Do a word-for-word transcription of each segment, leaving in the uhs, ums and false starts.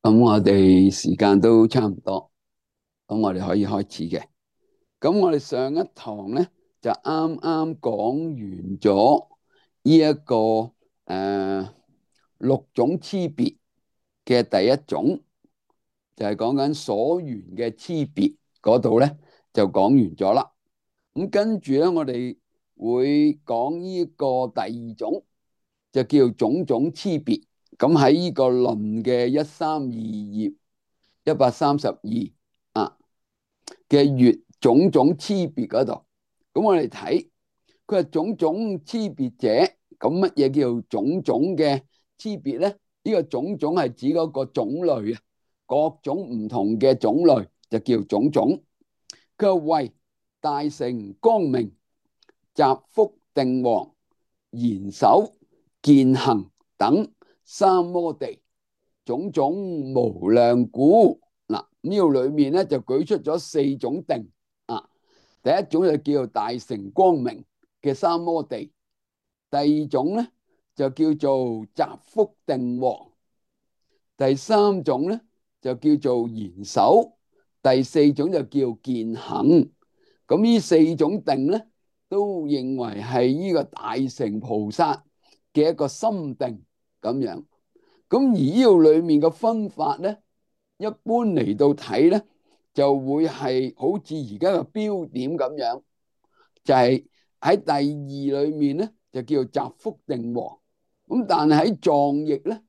咁我哋時間都差唔多，咁我哋可以開始嘅。咁我哋上一堂咧就啱啱講完咗呢一個誒、呃、六種差別嘅第一種，就係講緊所緣嘅差別嗰度咧就講完咗啦。咁跟住咧，我哋會講呢個第二種，就叫種種差別。咁喺呢個論嘅一三二頁。一百三十二啊嘅月種種差別嗰度，咁我哋睇佢係種種差別者，咁乜嘢叫種種嘅差別咧？呢個種種係指嗰個種類啊，各種唔同嘅種類就叫種種。佢話為大乘光明、集福定王、賢首、見行等三摩地，種種無量故。嗱，呢度裏面咧就舉出咗四種定啊。第一種就叫做大乘光明嘅三摩地，第二種咧就叫做集福定王，第三種咧就叫做賢首，第四種就叫見行。咁呢四種定咧都認為係呢個大乘菩薩嘅一個心定咁樣。咁而呢度裏面嘅分法咧，一般嚟到睇咧，就會係好似而家嘅標點咁樣，就係喺第二裏面咧就叫做集福定王。咁但係喺藏譯咧，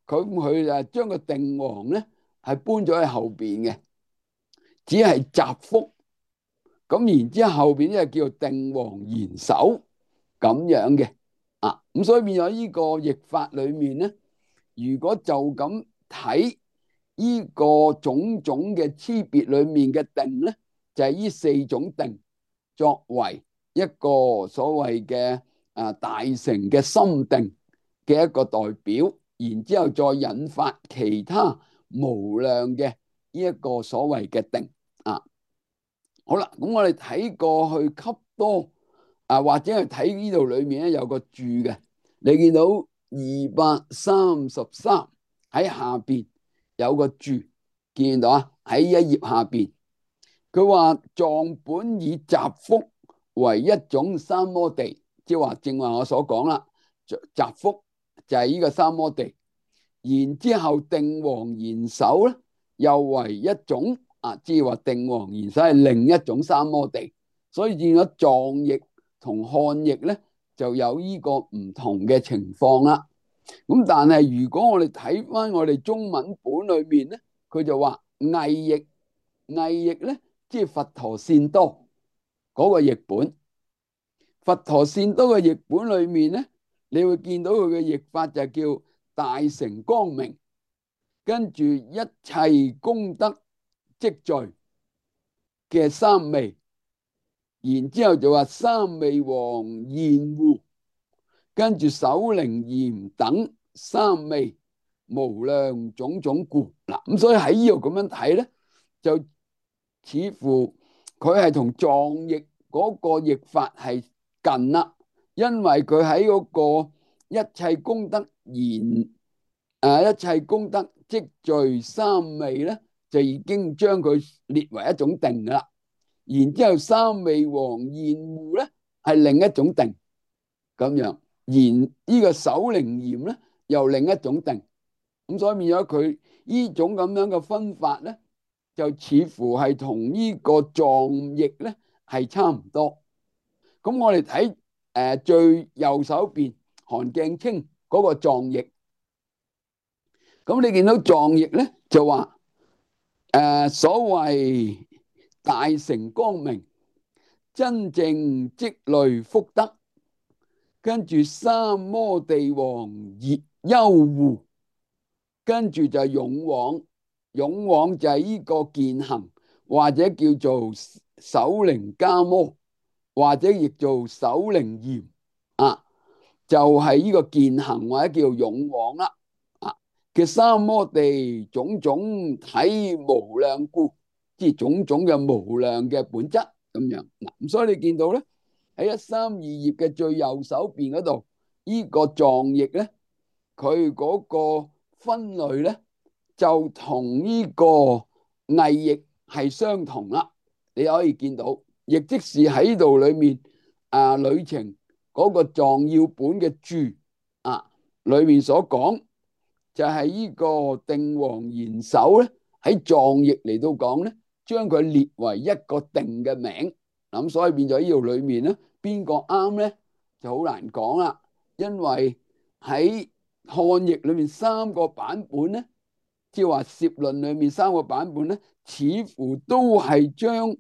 佢佢就將個定王咧係搬咗喺後邊嘅，只係集福。咁然之後後邊咧叫做定王賢首咁樣嘅啊。咁所以變咗呢個譯法裏面咧，如果就咁睇呢個種種嘅差別裏面嘅定咧，就係呢四種定作為一個所謂嘅啊大乘嘅心定嘅一個代表，然之後再引發其他無量嘅呢一個所謂嘅定啊。好啦，咁我哋睇過去笈多啊，或者係睇呢度裏面咧有個注嘅，你見到二百三十三喺下邊有個注，見到啊？喺一頁下邊，佢話藏本以集福為一種三摩地，即係話正話我所講啦，集福就係呢個三摩地，然之後定王賢首咧又為一種。啊，即係話定王賢首係另一種三摩地，所以見咗藏譯同漢譯咧就有呢個唔同嘅情況啦。咁但係如果我哋睇翻我哋中文本裏面咧，佢就話偽譯，偽譯咧即係佛陀善多嗰個譯本。佛陀善多嘅譯本裏面咧，你會見到佢嘅譯法就叫大乘光明，跟住一切功德積聚嘅三昧，然之後就話三昧王現護，跟住首楞嚴等三昧無量種種故。嗱，咁所以喺呢度咁樣睇咧，就似乎佢係同藏譯嗰個譯法係近啦，因為佢喺嗰個一切功德現誒一切功德積聚三昧咧，就已經將佢列為一種定噶啦。然之後三昧王現護咧係另一種定咁樣，然呢個首楞嚴咧又另一種定。咁所以變咗佢呢種咁樣嘅分法咧，就似乎係同呢個藏譯咧係差唔多。咁我哋睇誒最右手邊韓鏡清嗰個藏譯，咁你見到藏譯咧就話誒、呃、所謂大乘光明，真正積累福德，跟住三摩地王熱優護，跟住就勇往，勇往就係呢個見行，或者叫做首楞伽摩，或者亦做首楞嚴啊，就係、是、呢個見行或者叫勇往啦啊嘅三摩地種種體無量故，即係種種嘅無量嘅本質咁樣嗱。咁所以你見到咧喺一三二頁嘅最右手邊嗰度，呢、這個藏譯咧，佢嗰個分類咧就同呢個偽譯係相同啦。你可以見到，亦即是喺度裏面啊，旅程嗰個藏要本嘅注啊，裏面所講就係呢個定王賢首咧，喺藏譯嚟到講咧，將佢列為一個定嘅名。咁所以變咗呢度裏面咧，邊個啱咧就好難講啦。因為喺漢譯裏面三個版本咧，即係話攝論裏面三個版本咧，似乎都係將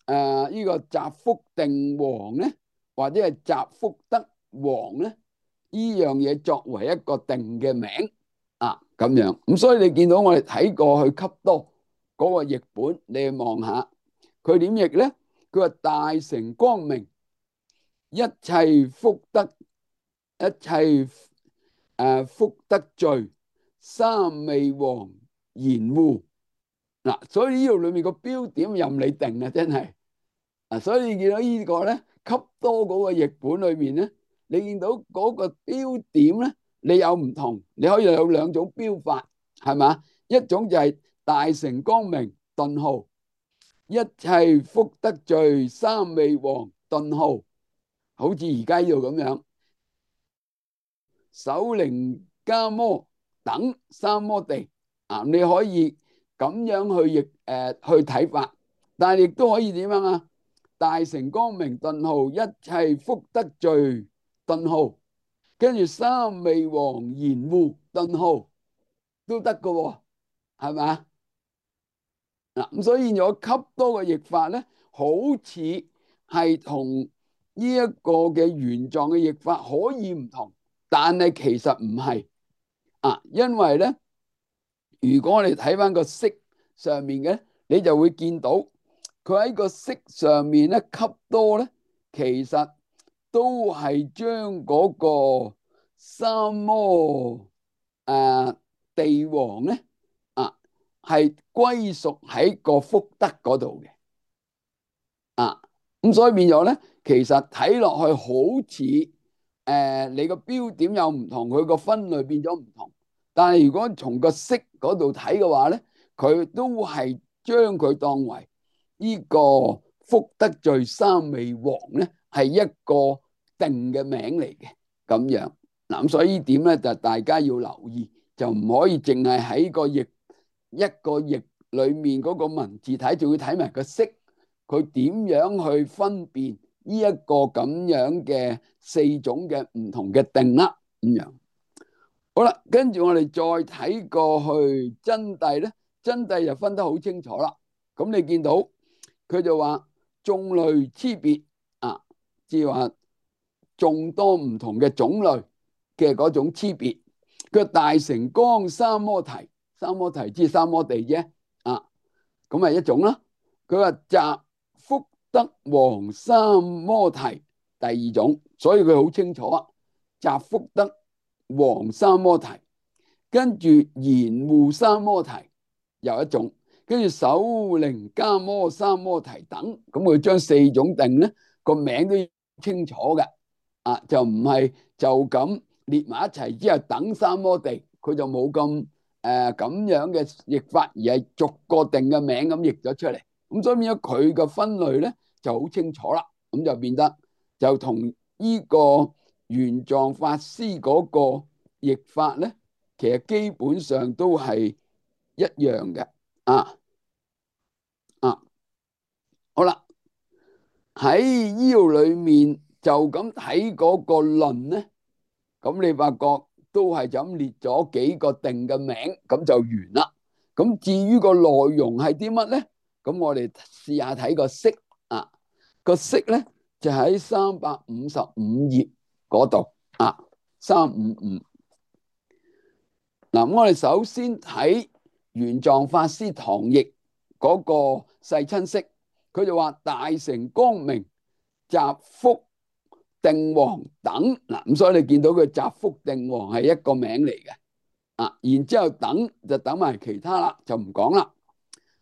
誒呢個澤福定王咧，或者係澤福德王咧，呢樣嘢作為一個定嘅名啊，咁樣。咁所以你見到我哋睇過去笈多嗰個譯本，你去望下佢點譯咧？佢話大成光明，一切福德，一切誒福德聚，三味王嚴護嗱。所以呢度裏面個標點任你定啊，真係啊。所以你見到呢個咧，笈多嗰個譯本裏面咧，你見到嗰個標點咧，你有唔同，你可以有兩種標法，係嘛？一種就係大成光明頓號，一切福德聚，三味王頓號，好似而家呢度咁樣，首楞伽摩等三摩地啊，你可以咁樣去譯誒、呃、去睇法，但係亦都可以點樣啊？大成光明頓號，一切福德聚頓號，跟住三味王嚴護頓號都得噶喎，係咪？嗱，咁所以有笈多嘅譯法咧，好似係同呢一個嘅原狀嘅譯法可以唔同，但係其實唔係啊，因為咧，如果我哋睇翻個釋上面嘅，你就會見到佢喺個釋上面咧，笈多咧，其實都係將嗰個三摩誒地王咧啊，係歸屬喺個福德嗰度嘅啊，咁所以變咗咧，其實睇落去好似誒、呃、你個標點又唔同，佢個分類變咗唔同。但係如果從個釋嗰度睇嘅話咧，佢都係將佢當為呢個福德聚三味王咧，係一個定嘅名嚟嘅咁樣。嗱，咁所以呢點咧就大家要留意，就唔可以淨係喺個譯一個譯裏面嗰個文字睇，就要睇埋個釋，佢點樣去分辨呢一個咁樣嘅四種嘅唔同嘅定啦咁樣。好啦，跟住我哋再睇過去真諦咧，真諦就分得好清楚啦。咁你見到佢就話眾類差別啊，即係話眾多唔同嘅種類嘅嗰種差別。佢大成光三摩提，三摩提即係三摩地啫啊，咁係一種啦。佢話澤福德王三摩提第二種，所以佢好清楚啊，澤福德王三摩提，跟住嚴護三摩提又一種，跟住首楞伽摩三摩提等，咁佢將四種定咧個名都清楚嘅啊，就唔係就咁列埋一齊之後等三摩地，佢就冇咁誒咁樣嘅譯法，而係逐個定嘅名咁譯咗出嚟，咁所以變咗佢嘅分類咧就好清楚啦，咁就變得就同呢個玄奘法師嗰個譯法咧，其實基本上都係一樣嘅啊啊！好啦，喺呢度裏面就咁睇嗰個論咧，咁你發覺都係就咁列咗幾個定嘅名，咁就完啦。咁至於個內容係啲乜咧？咁我哋試下睇個釋啊，個釋咧就喺三百五十五頁嗰度啊，三五五。嗱，我哋首先睇玄奘法師唐譯嗰個世親釋，佢就話大成光明澤福定王等。嗱，咁所以你見到佢澤福定王係一個名嚟嘅啊，然之後等就等埋其他啦，就唔講啦。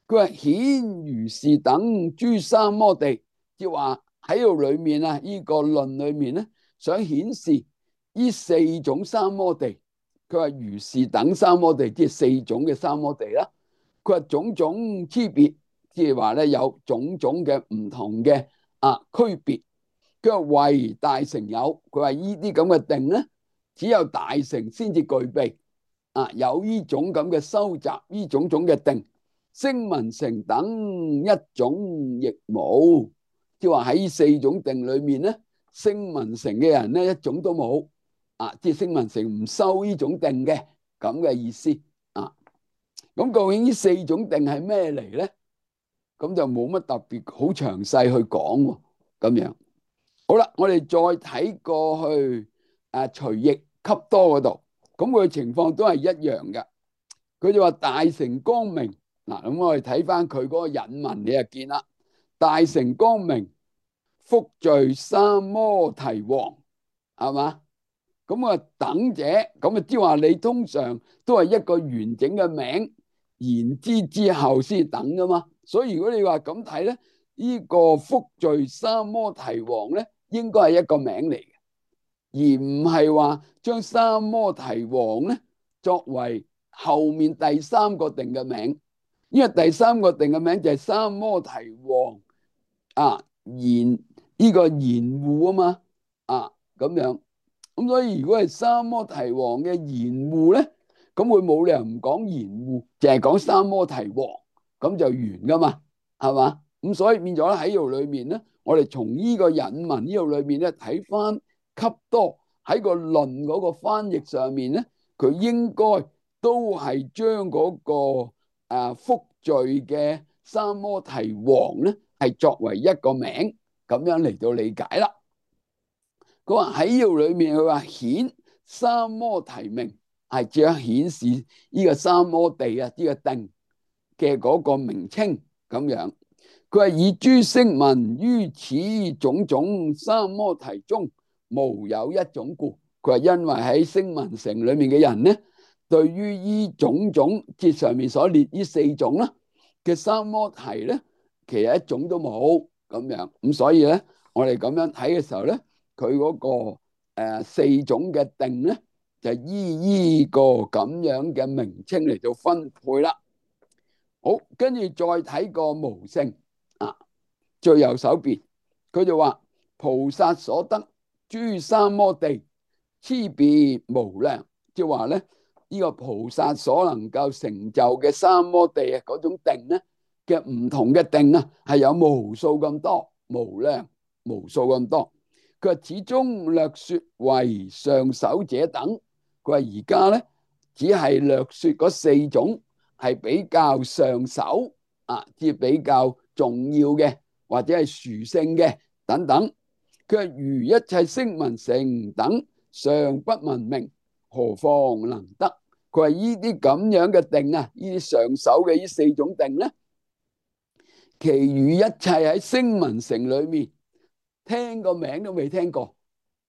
佢話顯如是等諸三摩地，即係話喺度裏面啊，呢個論裏面咧，想顯示呢四種三摩地。佢話如是等三摩地，即係四種嘅三摩地啦。佢話種種差別，即係話咧有種種嘅唔同嘅啊區別。佢話唯大乘有，佢話呢啲咁嘅定咧，只有大乘先至具備啊，有呢種咁嘅收集呢種種嘅定。聲聞乘等一種亦冇，即係話喺呢四種定裏面咧，聲聞乘嘅人咧一種都冇啊，即係聲聞乘唔收呢種定嘅咁嘅意思啊。咁究竟呢四種定係咩嚟咧？咁就冇乜特別好詳細去講喎。咁樣好啦，我哋再睇過去啊，隨逆笈多嗰度，咁佢嘅情況都係一樣嘅。佢就話大乘光明嗱，咁我哋睇翻佢嗰個引文，你就見啦。大乘光明，福聚三摩提王，係嘛？咁啊等者，咁啊即係話你通常都係一個完整嘅名，言之之後先等噶嘛。所以如果你話咁睇咧，呢個福聚三摩提王咧，應該係一個名嚟嘅，而唔係話將三摩提王咧作為後面第三個定嘅名。因為第三個定嘅名就係三摩提王啊，言呢個言護啊嘛，啊咁樣。咁所以如果係三摩提王嘅言護咧，咁佢冇理由唔講言護，淨係講三摩提王，咁就完噶嘛，係嘛？咁所以變咗喺度裏面咧，我哋從呢個引文呢度裏面咧睇翻笈多喺個論嗰個翻譯上面咧，佢應該都係將嗰個誒福聚嘅三摩提王咧係作為一個名咁樣嚟到理解啦。佢話喺呢度裏面，佢話顯三摩提名係只係顯示呢個三摩地啊，呢個定嘅嗰個名稱咁樣。佢話以諸聲聞於此種種三摩提中無有一種故。佢話因為喺聲聞乘裏面嘅人咧，對於呢種種節上面所列呢四種啦嘅三摩提咧，其實一種都冇咁樣。咁所以咧，我哋咁樣睇嘅時候咧，佢嗰個誒四種嘅定咧，就依依個咁樣嘅名稱嚟到分配啦。好，跟住再睇個無性啊，最右手邊佢就話菩薩所得諸三摩地，差別無量，即係話咧呢個菩薩所能夠成就嘅三摩地啊，嗰種定咧嘅唔同嘅定啊，係有無數咁多，無量無數咁多。佢話始終略說為上首者等，佢話而家咧只係略說嗰四種係比較上首啊，即係比較重要嘅或者係殊勝嘅等等。佢話如一切聲聞乘等尚不聞名，何況能得？佢話呢啲咁樣嘅定啊，呢啲上首嘅呢四種定咧，其餘一切喺聲聞乘裏面，聽個名都未聽過，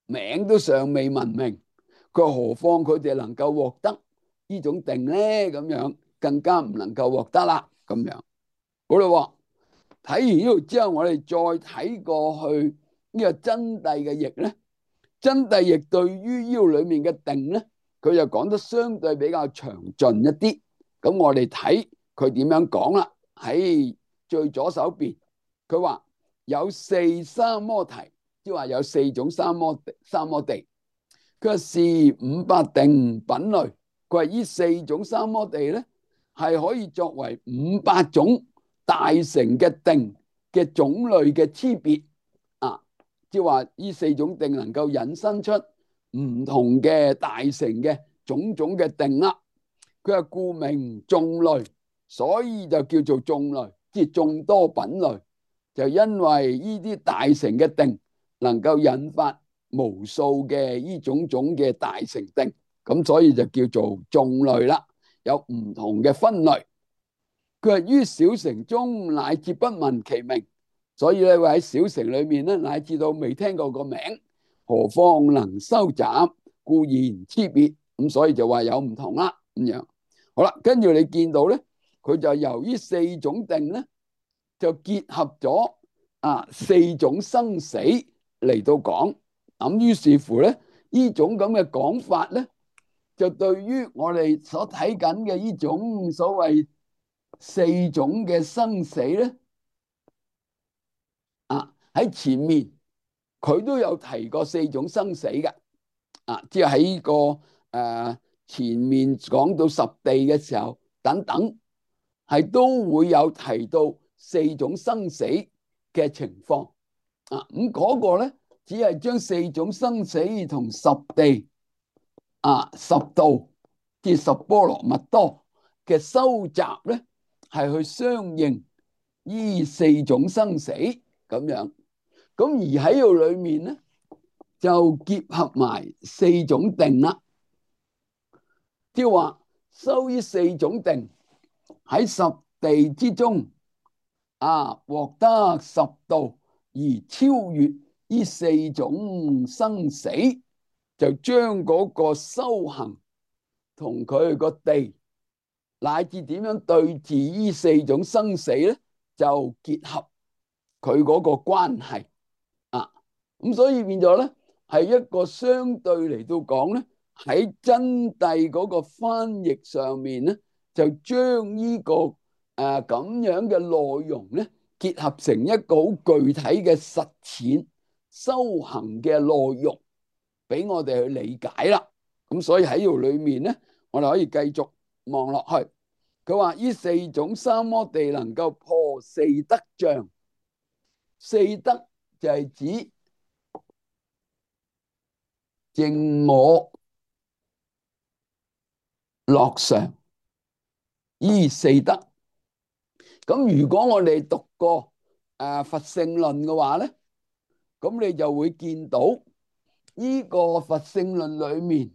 名都尚未聞名，佢話何況佢哋能夠獲得呢種定咧？咁樣更加唔能夠獲得啦。咁樣好啦，睇完呢度之後，我哋再睇過去呢個真諦嘅譯咧，真諦譯對於呢度裏面嘅定咧，佢就講得相對比較詳盡一啲。咁我哋睇佢點樣講啦。喺最左手邊，佢話有四三摩提，即係話有四種三摩三摩地。佢話是五百定品類，佢話呢四種三摩地咧係可以作為五百種大乘嘅定嘅種類嘅差別啊，即係話呢四種定能夠引申出唔同嘅大乘嘅種種嘅定啦。佢話故名眾類，所以就叫做眾類，即係眾多品類。就因為呢啲大乘嘅定能夠引發無數嘅呢種種嘅大乘定，咁所以就叫做眾類啦，有唔同嘅分類。佢話於小乘中乃至不聞其名，所以咧會喺小乘裏面咧，乃至到未聽過個名，何況能收集？故言差別，咁所以就話有唔同啦。咁樣好啦，跟住你見到咧，佢就由於四種定咧，就結合咗啊四種生死嚟到講。咁於是乎咧，呢種咁嘅講法咧，就對於我哋所睇緊嘅呢種所謂四種嘅生死咧，啊喺前面佢都有提過四種生死嘅，啊即係喺個誒、呃、前面講到十地嘅時候等等，係都會有提到四種生死嘅情況，啊咁嗰個咧只係將四種生死同十地啊十道即十波羅蜜多嘅收集咧，係去相應呢四種生死咁樣。咁而喺度裏面咧，就結合埋四種定啦，即係話修呢四種定喺十地之中啊，獲得十道而超越呢四種生死，就將嗰個修行同佢個地乃至點樣對治呢四種生死咧，就結合佢嗰個關係啊。咁所以變咗咧，係一個相對嚟到講咧，喺真諦嗰個翻譯上面咧，就將呢個誒咁樣嘅內容咧，結合成一個好具體嘅實踐修行嘅內容，俾我哋去理解啦。咁所以喺度裏面咧，我哋可以繼續望落去。佢話呢四種三摩地能夠破四德障，四德就係指淨我樂常依四德。咁如果我哋讀過誒佛性論嘅話咧，咁你就會見到呢個佛性論裏面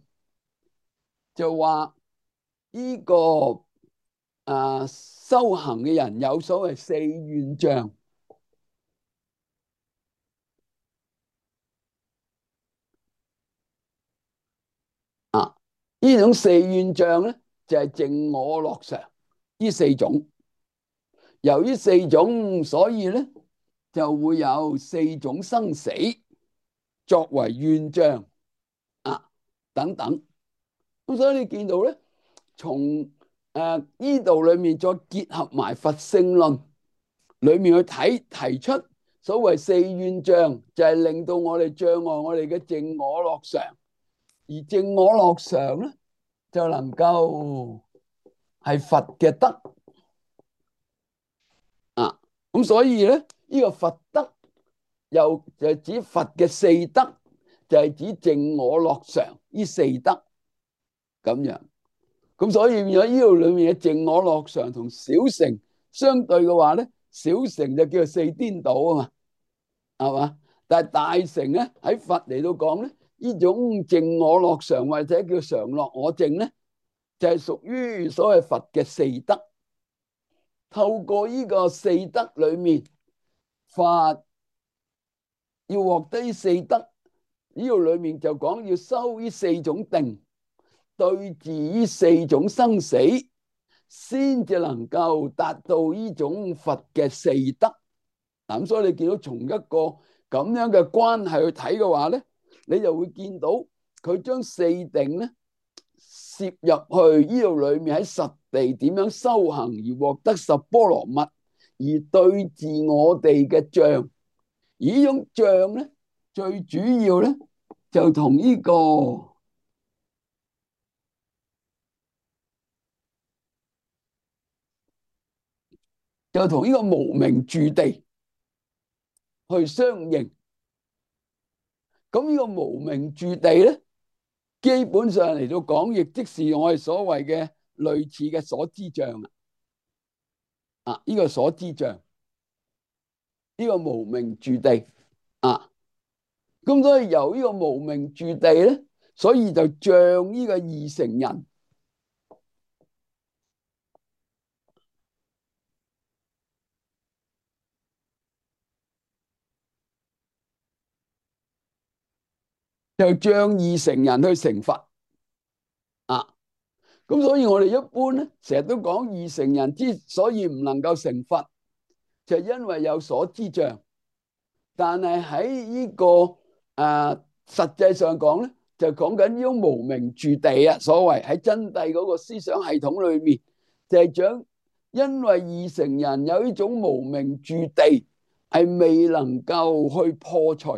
就話呢個誒修行嘅人有所謂四願障啊，呢種四願障咧就係淨我樂常呢四種。由於四種，所以咧就會有四種生死作為願障啊等等。咁所以你見到咧，從誒呢度裏面再結合埋佛性論裏面去睇，提出所謂四願障，就係令到我哋障礙我哋嘅淨我樂常，而淨我樂常咧就能夠係佛嘅德啊。咁所以咧，呢個佛德又就係指佛嘅四德，就係指淨我樂常呢四德咁樣。咁所以變咗呢度裏面嘅淨我樂常同小乘相對嘅話咧，小乘就叫做四顛倒啊嘛，係嘛？但係大乘咧喺佛嚟到講咧，呢種淨我樂常或者叫常樂我淨咧，就係屬於所謂佛嘅四德。透過呢個四德裏面，佛要獲得呢四德，呢度裏面就講要修呢四種定，對治呢四種生死，先至能夠達到呢種佛嘅四德。咁所以你見到從一個咁樣嘅關係去睇嘅話咧，你就會見到佢將四定咧攝入去呢度裏面，喺實地點樣修行而獲得十波羅蜜，而對治我哋嘅障。而呢種障咧，最主要咧就同呢個就同呢個無明住地去相應。咁呢個無明住地咧，基本上嚟到講，亦即是我哋所謂嘅類似嘅所知障啊。啊，呢個所知障，呢個無明住地啊。咁所以由呢個無明住地咧，所以就像呢個二乘人就像二乘人去成佛啊。咁所以我哋一般咧，成日都講二乘人之所以唔能夠成佛，就係因為有所知障。但係喺呢個誒實際上講咧，就講緊呢種無名住地啊，所謂喺真諦嗰個思想系統裏面，就係講因為二乘人有呢種無名住地，係未能夠去破除，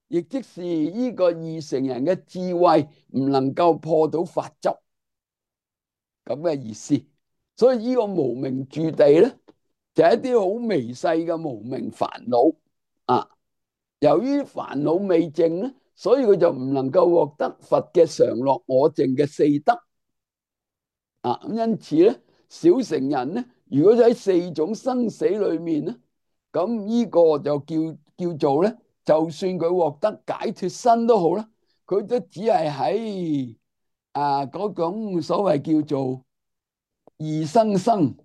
亦即是呢個二乘人嘅智慧唔能夠破到法執咁嘅意思。所以呢個無名住地咧，就係一啲好微細嘅無名煩惱啊。由於煩惱未淨咧，所以佢就唔能夠獲得佛嘅常樂我淨嘅四德啊。咁因此咧，小乘人咧，如果喺四種生死裏面咧，咁呢個就叫叫做咧，就算佢獲得解脫身都好啦，佢都只係喺啊嗰種所謂叫做二生生，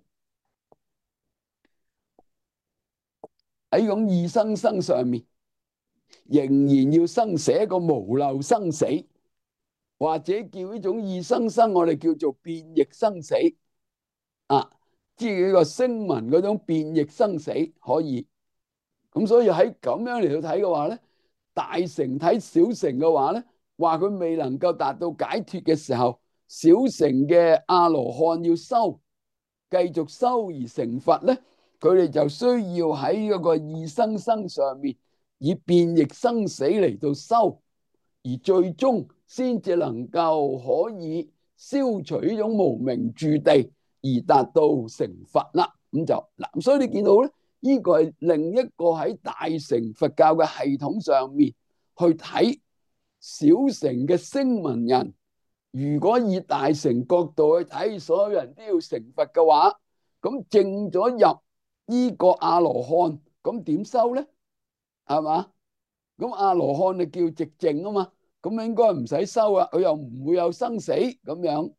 喺種二生生上面，仍然要生寫一個無漏生死，或者叫呢種二生生，我哋叫做變易生死啊，即係呢個聲聞嗰種變易生死可以。咁所以喺咁樣嚟到睇嘅話咧，大乘睇小乘嘅話咧，話佢未能夠達到解脫嘅時候，小乘嘅阿羅漢要修，繼續修而成佛咧，佢哋就需要喺嗰個二生生上面以變易生死嚟到修，而最終先至能夠可以消除呢種無明住地，而達到成佛啦。咁就嗱，所以你見到咧，呢個係另一個喺大乘佛教嘅系統上面去睇小乘嘅聲聞人。如果以大乘角度去睇，所有人都要成佛嘅話，咁證咗入呢個阿羅漢，咁點修咧？係嘛？咁阿羅漢就叫寂靜啊嘛，咁應該唔使修啊，佢又唔會有生死咁樣。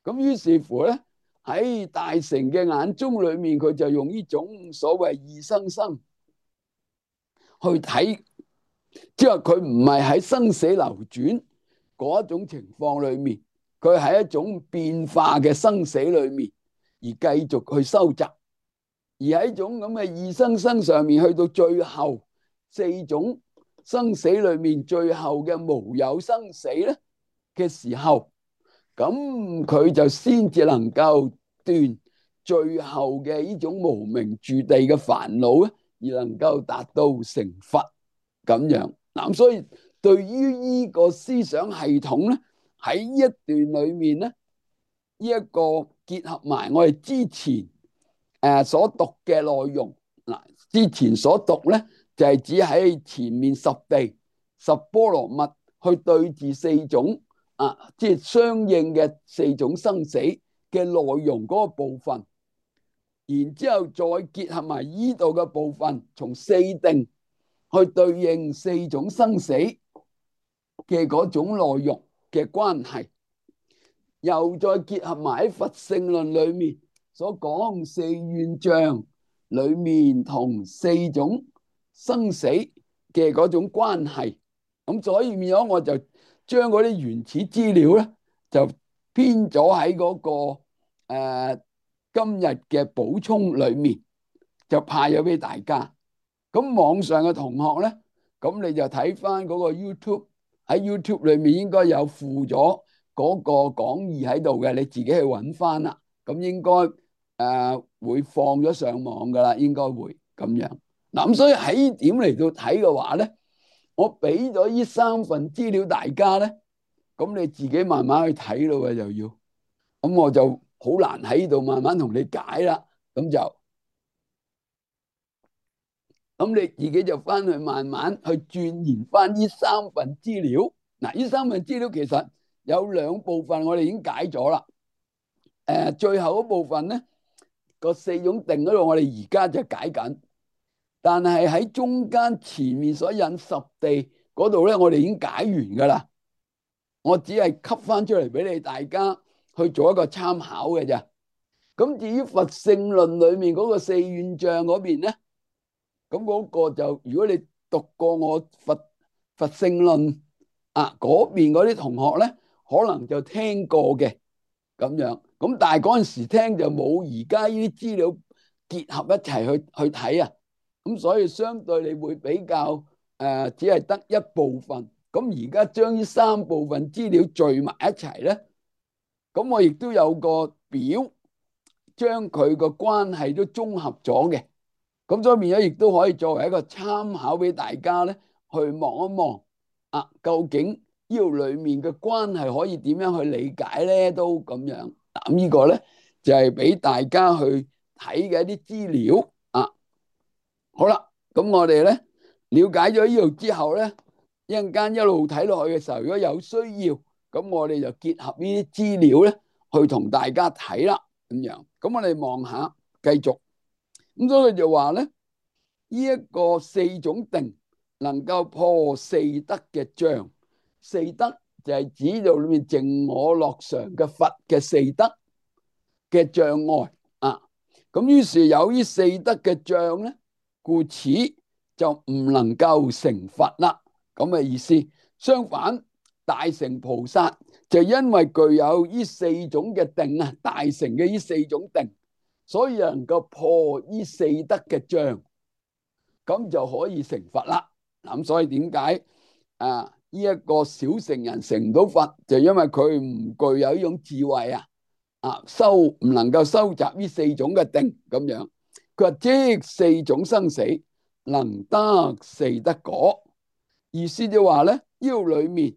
咁於是乎咧，喺大乘嘅眼中裏面，佢就用呢種所謂二生生去睇，即係佢唔係喺生死流轉嗰一種情況裏面，佢喺一種變化嘅生死裏面而繼續去收集，而喺一種咁嘅二生生上面，去到最後四種生死裏面最後嘅無有生死咧嘅時候，咁佢就先至能夠斷最後嘅呢種無明住地嘅煩惱咧，而能夠達到成佛咁樣。嗱，所以對於呢個思想系統咧，喺呢一段裏面咧，呢一個結合埋我哋之前誒所讀嘅內容。嗱，之前所讀咧就係指喺前面十地十波羅蜜去對治四種啊，即係相應嘅四種生死嘅內容嗰個部分，然之後再結合埋依度嘅部分，從四定去對應四種生死嘅嗰種內容嘅關係，又再結合埋喺佛性論裏面所講四願障裏面同四種生死嘅嗰種關係。咁所以變咗我就將嗰啲原始資料咧就編咗喺嗰個誒、呃、今日嘅補充裏面，就派咗俾大家。咁網上嘅同學咧，咁你就睇翻嗰個 YouTube， 喺 YouTube 裏面應該有附咗嗰個講義喺度嘅，你自己去揾翻啦。咁應該誒、呃、會放咗上網噶啦，應該會咁樣。嗱，咁所以喺呢點嚟到睇嘅話咧，我俾咗呢三份資料大家咧，咁你自己慢慢去睇咯，就要。咁我就好難喺度慢慢同你解啦，咁就。咁你自己就翻去慢慢去鑽研翻呢三份資料。嗱，呢三份資料其實有兩部分我哋已經解咗啦。誒，最後嗰部分咧，個四種定嗰度我哋而家就解緊，但係喺中間前面所引十地嗰度咧，我哋已經解完噶啦。我只係吸翻出嚟俾你大家去做一個參考嘅啫。咁至於佛性論裏面嗰個四願障嗰邊咧，咁嗰個就如果你讀過我佛佛性論啊嗰邊嗰啲同學咧，可能就聽過嘅咁樣。咁但係嗰陣時聽就冇而家呢啲資料結合一齊去去睇啊。咁所以相對你會比較誒、呃，只係得一部分咁而家將呢三部分資料聚埋一齊咧，咁我亦都有個表，將佢個關係都綜合咗嘅。咁所以變咗亦都可以作為一個參考俾大家咧，去望一望啊，究竟呢度裏面嘅關係可以點樣去理解咧？都咁樣。咁呢個咧就係俾大家去睇嘅一啲資料啊。好啦，咁我哋咧了解咗呢度之後咧，一陣間一路睇落去嘅時候，如果有需要，咁我哋就結合呢啲資料咧，去同大家睇啦。咁樣，咁我哋望下，繼續。咁所以佢就話咧，呢一個四種定能夠破四德嘅障，四德就係指到裏面淨我樂常嘅佛嘅四德嘅障礙啊。咁於是有呢四德嘅障咧，故此就唔能夠成佛啦。咁嘅意思。相反，大乘菩薩就因為具有呢四種嘅定啊，大乘嘅呢四種定，所以能夠破呢四德嘅障，咁就可以成佛啦。咁所以點解啊？呢一個小乘人成唔到佛，就因為佢唔具有呢種智慧啊，啊收唔能夠收集呢四種嘅定咁樣。佢話即四種生死能得四德果，意思就話咧，呢裏面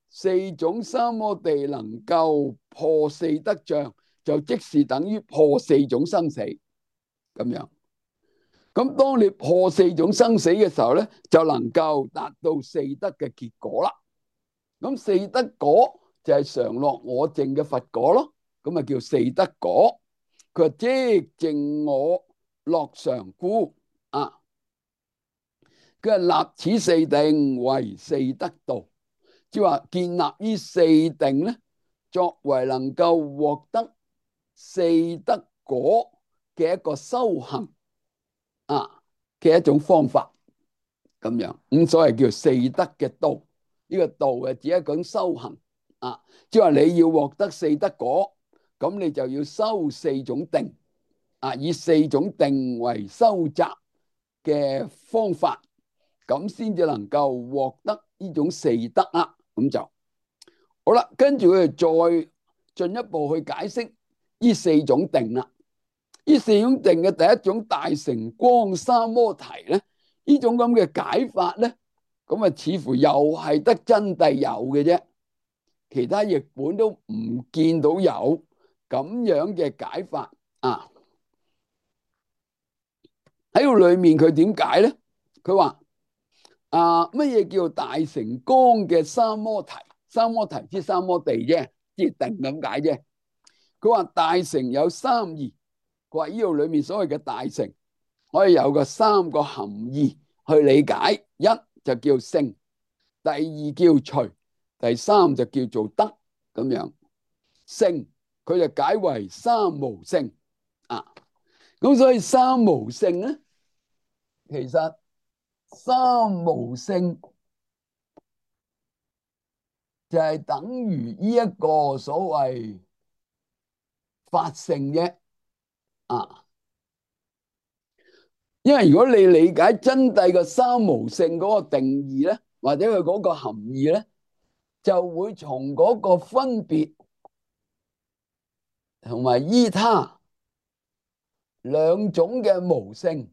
四種三摩地能夠破四德障，就即是等於破四種生死咁樣。咁當你破四種生死嘅時候咧，就能夠達到四德嘅結果啦。咁四德果就係常樂我淨嘅佛果咯，咁啊叫四德果。佢話即淨我樂常故啊，佢話立此四定為四德道，即係話建立呢四定咧，作為能夠獲得四德果嘅一個修行啊嘅一種方法咁樣。咁所謂叫四德嘅道，呢個道係指一種修行啊，即係話你要獲得四德果，咁你就要修四種定啊，以四種定為修習嘅方法，咁先至能夠獲得呢種四德啊。咁就好啦，跟住佢哋再進一步去解釋呢四種定啦。呢四種定嘅第一種大乘光三摩提咧，呢種咁嘅解法咧，咁啊似乎又係得真諦有嘅啫，其他譯本都唔見到有咁樣嘅解法啊。喺度裏面佢點解咧？佢話啊，乜嘢叫大乘光嘅三摩提？三摩提即三摩地啫，即定咁解啫。佢話大乘有三義，佢話呢度裏面所謂嘅大乘可以有個三個含義去理解。一就叫聖，第二叫隨，第三就叫做德咁樣。聖佢就解為三無聖啊。咁所以三無聖咧，其實三無聖就係等於呢一個所謂法性啫啊。因為如果你理解真諦嘅三無聖嗰個定義咧，或者佢嗰個含義咧，就會從嗰個分別同埋依他兩種嘅無聖，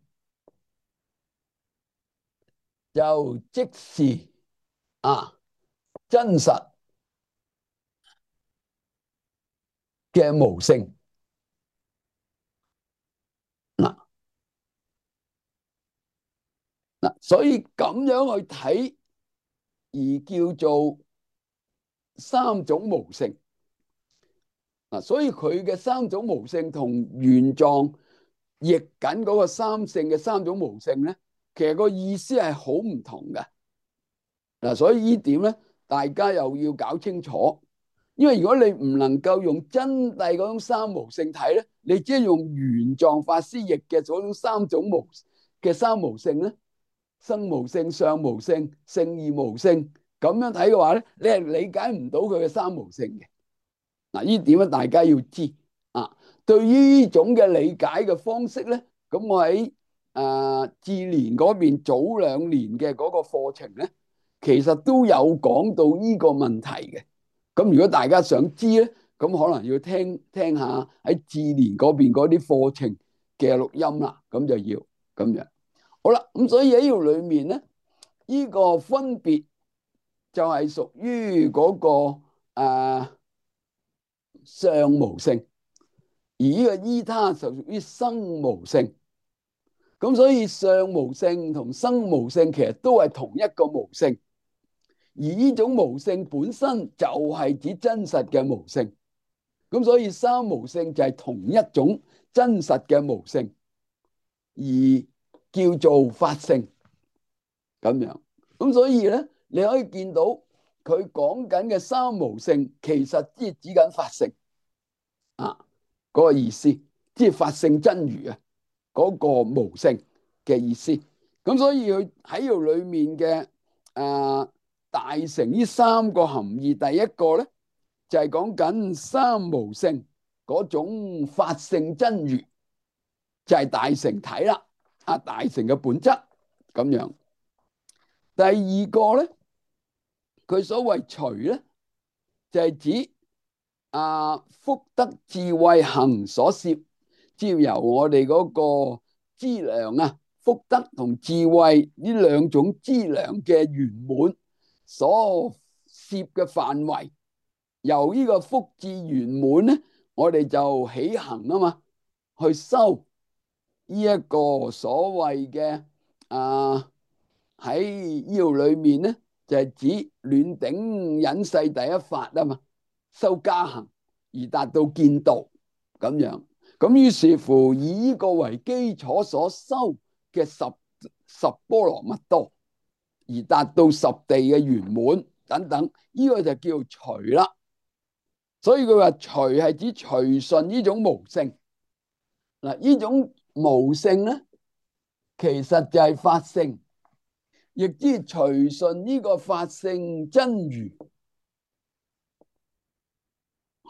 就即是啊真實嘅無聖嗱嗱，所以咁樣去睇而叫做三種無聖嗱，所以佢嘅三種無聖同原狀譯緊嗰個三聖嘅三種無聖咧，其實個意思係好唔同嘅嗱，所以呢點咧，大家又要搞清楚。因為如果你唔能夠用真諦嗰種三無聖睇咧，你只係用原狀法師譯嘅嗰種三種無嘅三無聖咧，生無聖、相無聖、聖義無聖咁樣睇嘅話咧，你係理解唔到佢嘅三無聖嘅嗱。呢點咧，大家要知啊。對於呢種嘅理解嘅方式咧，咁我喺誒智聯嗰邊早兩年嘅嗰個課程咧，其實都有講到呢個問題嘅。咁如果大家想知咧，咁可能要聽聽下喺智聯嗰邊嗰啲課程嘅錄音啦，咁就要咁樣。好啦，咁所以喺呢度裏面咧，呢個分別就係屬於嗰個誒相無性，而呢個依他就屬於生無性。咁所以相無性同生無性其實都係同一個無性，而呢種無性本身就係指真實嘅無性。咁所以三無性就係同一種真實嘅無性，而叫做法性咁樣。咁所以咧，你可以見到佢講緊嘅三無性，其實即係指緊法性啊，嗰個意思，即係法性真如啊，嗰個無性嘅意思。咁所以佢喺度裏面嘅誒大乘呢三個含義，第一個咧就係講緊三無性嗰種法性真如，就係大乘體啦，啊大乘嘅本質咁樣。第二個咧，佢所謂隨咧，就係指啊福德智慧行所攝，即係由我哋嗰個資糧啊，福德同智慧呢兩種資糧嘅圓滿所攝嘅範圍，由呢個福智圓滿咧，我哋就起行啊嘛，去修呢一個所謂嘅啊喺呢度裏面咧，就係指暖頂忍世第一法啊嘛，修加行而達到見道咁樣。咁於是乎以呢個為基礎所修嘅十十波羅蜜多，而達到十地嘅圓滿等等，呢個就叫隨啦。所以佢話隨係指隨順呢種無性。嗱，呢種無性咧，其實就係法性，亦即係隨順呢個法性真如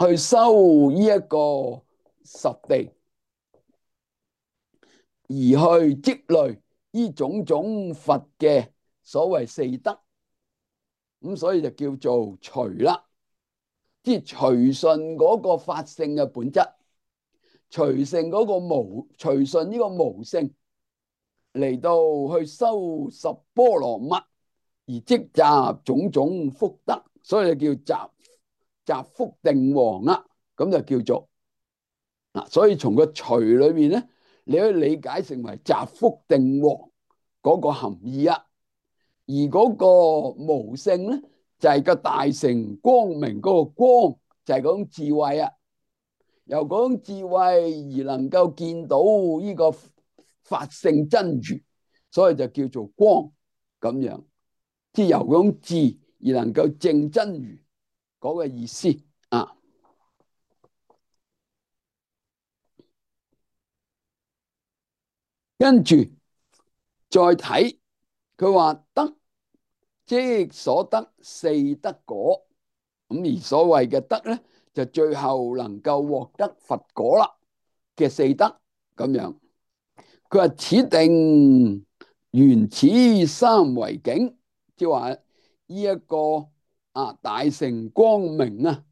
去修呢一個十地，而去積累呢種種佛嘅所謂四德，咁所以就叫做隨啦，即係隨順嗰個法性嘅本質，隨順嗰個無，隨順呢個無性嚟到去修十波羅蜜，而積集種種福德，所以就叫集集福定王啦。咁就叫做嗱，所以從個隨裏面咧，你可以理解成為集福定王嗰個含義啊。而嗰個無性咧，就係、是、個大乘光明嗰個光，就係、是、嗰種智慧啊。由嗰種智慧而能夠見到呢個法性真如，所以就叫做光咁樣。即係由嗰種智而能夠證真如嗰個意思啊。跟住再睇佢話德，即所得四德果。咁而所謂嘅德咧，就最後能夠獲得佛果啦嘅四德咁樣。佢話此定緣此三為境，即係話呢一個啊大乘光明啊，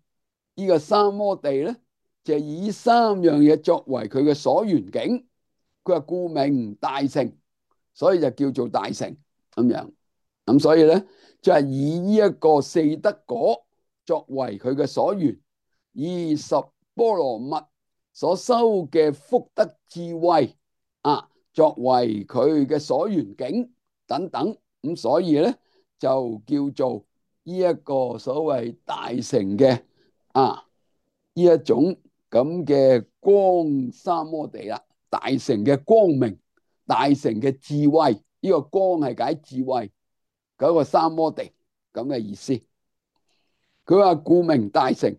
呢、這個三摩地咧，就以三樣嘢作為佢嘅所緣境。佢話故名大乘，所以就叫做大乘咁樣。咁所以咧，就係以呢一個四德果作為佢嘅所緣，以十波羅蜜所修嘅福德智慧啊，作為佢嘅所緣境等等。咁所以咧，就叫做呢一個所謂大乘嘅啊呢一種咁嘅光三摩地啦。大乘嘅光明，大乘嘅智慧，呢、這個光係解智慧嗰、那個三摩地咁嘅意思。佢話故名大乘，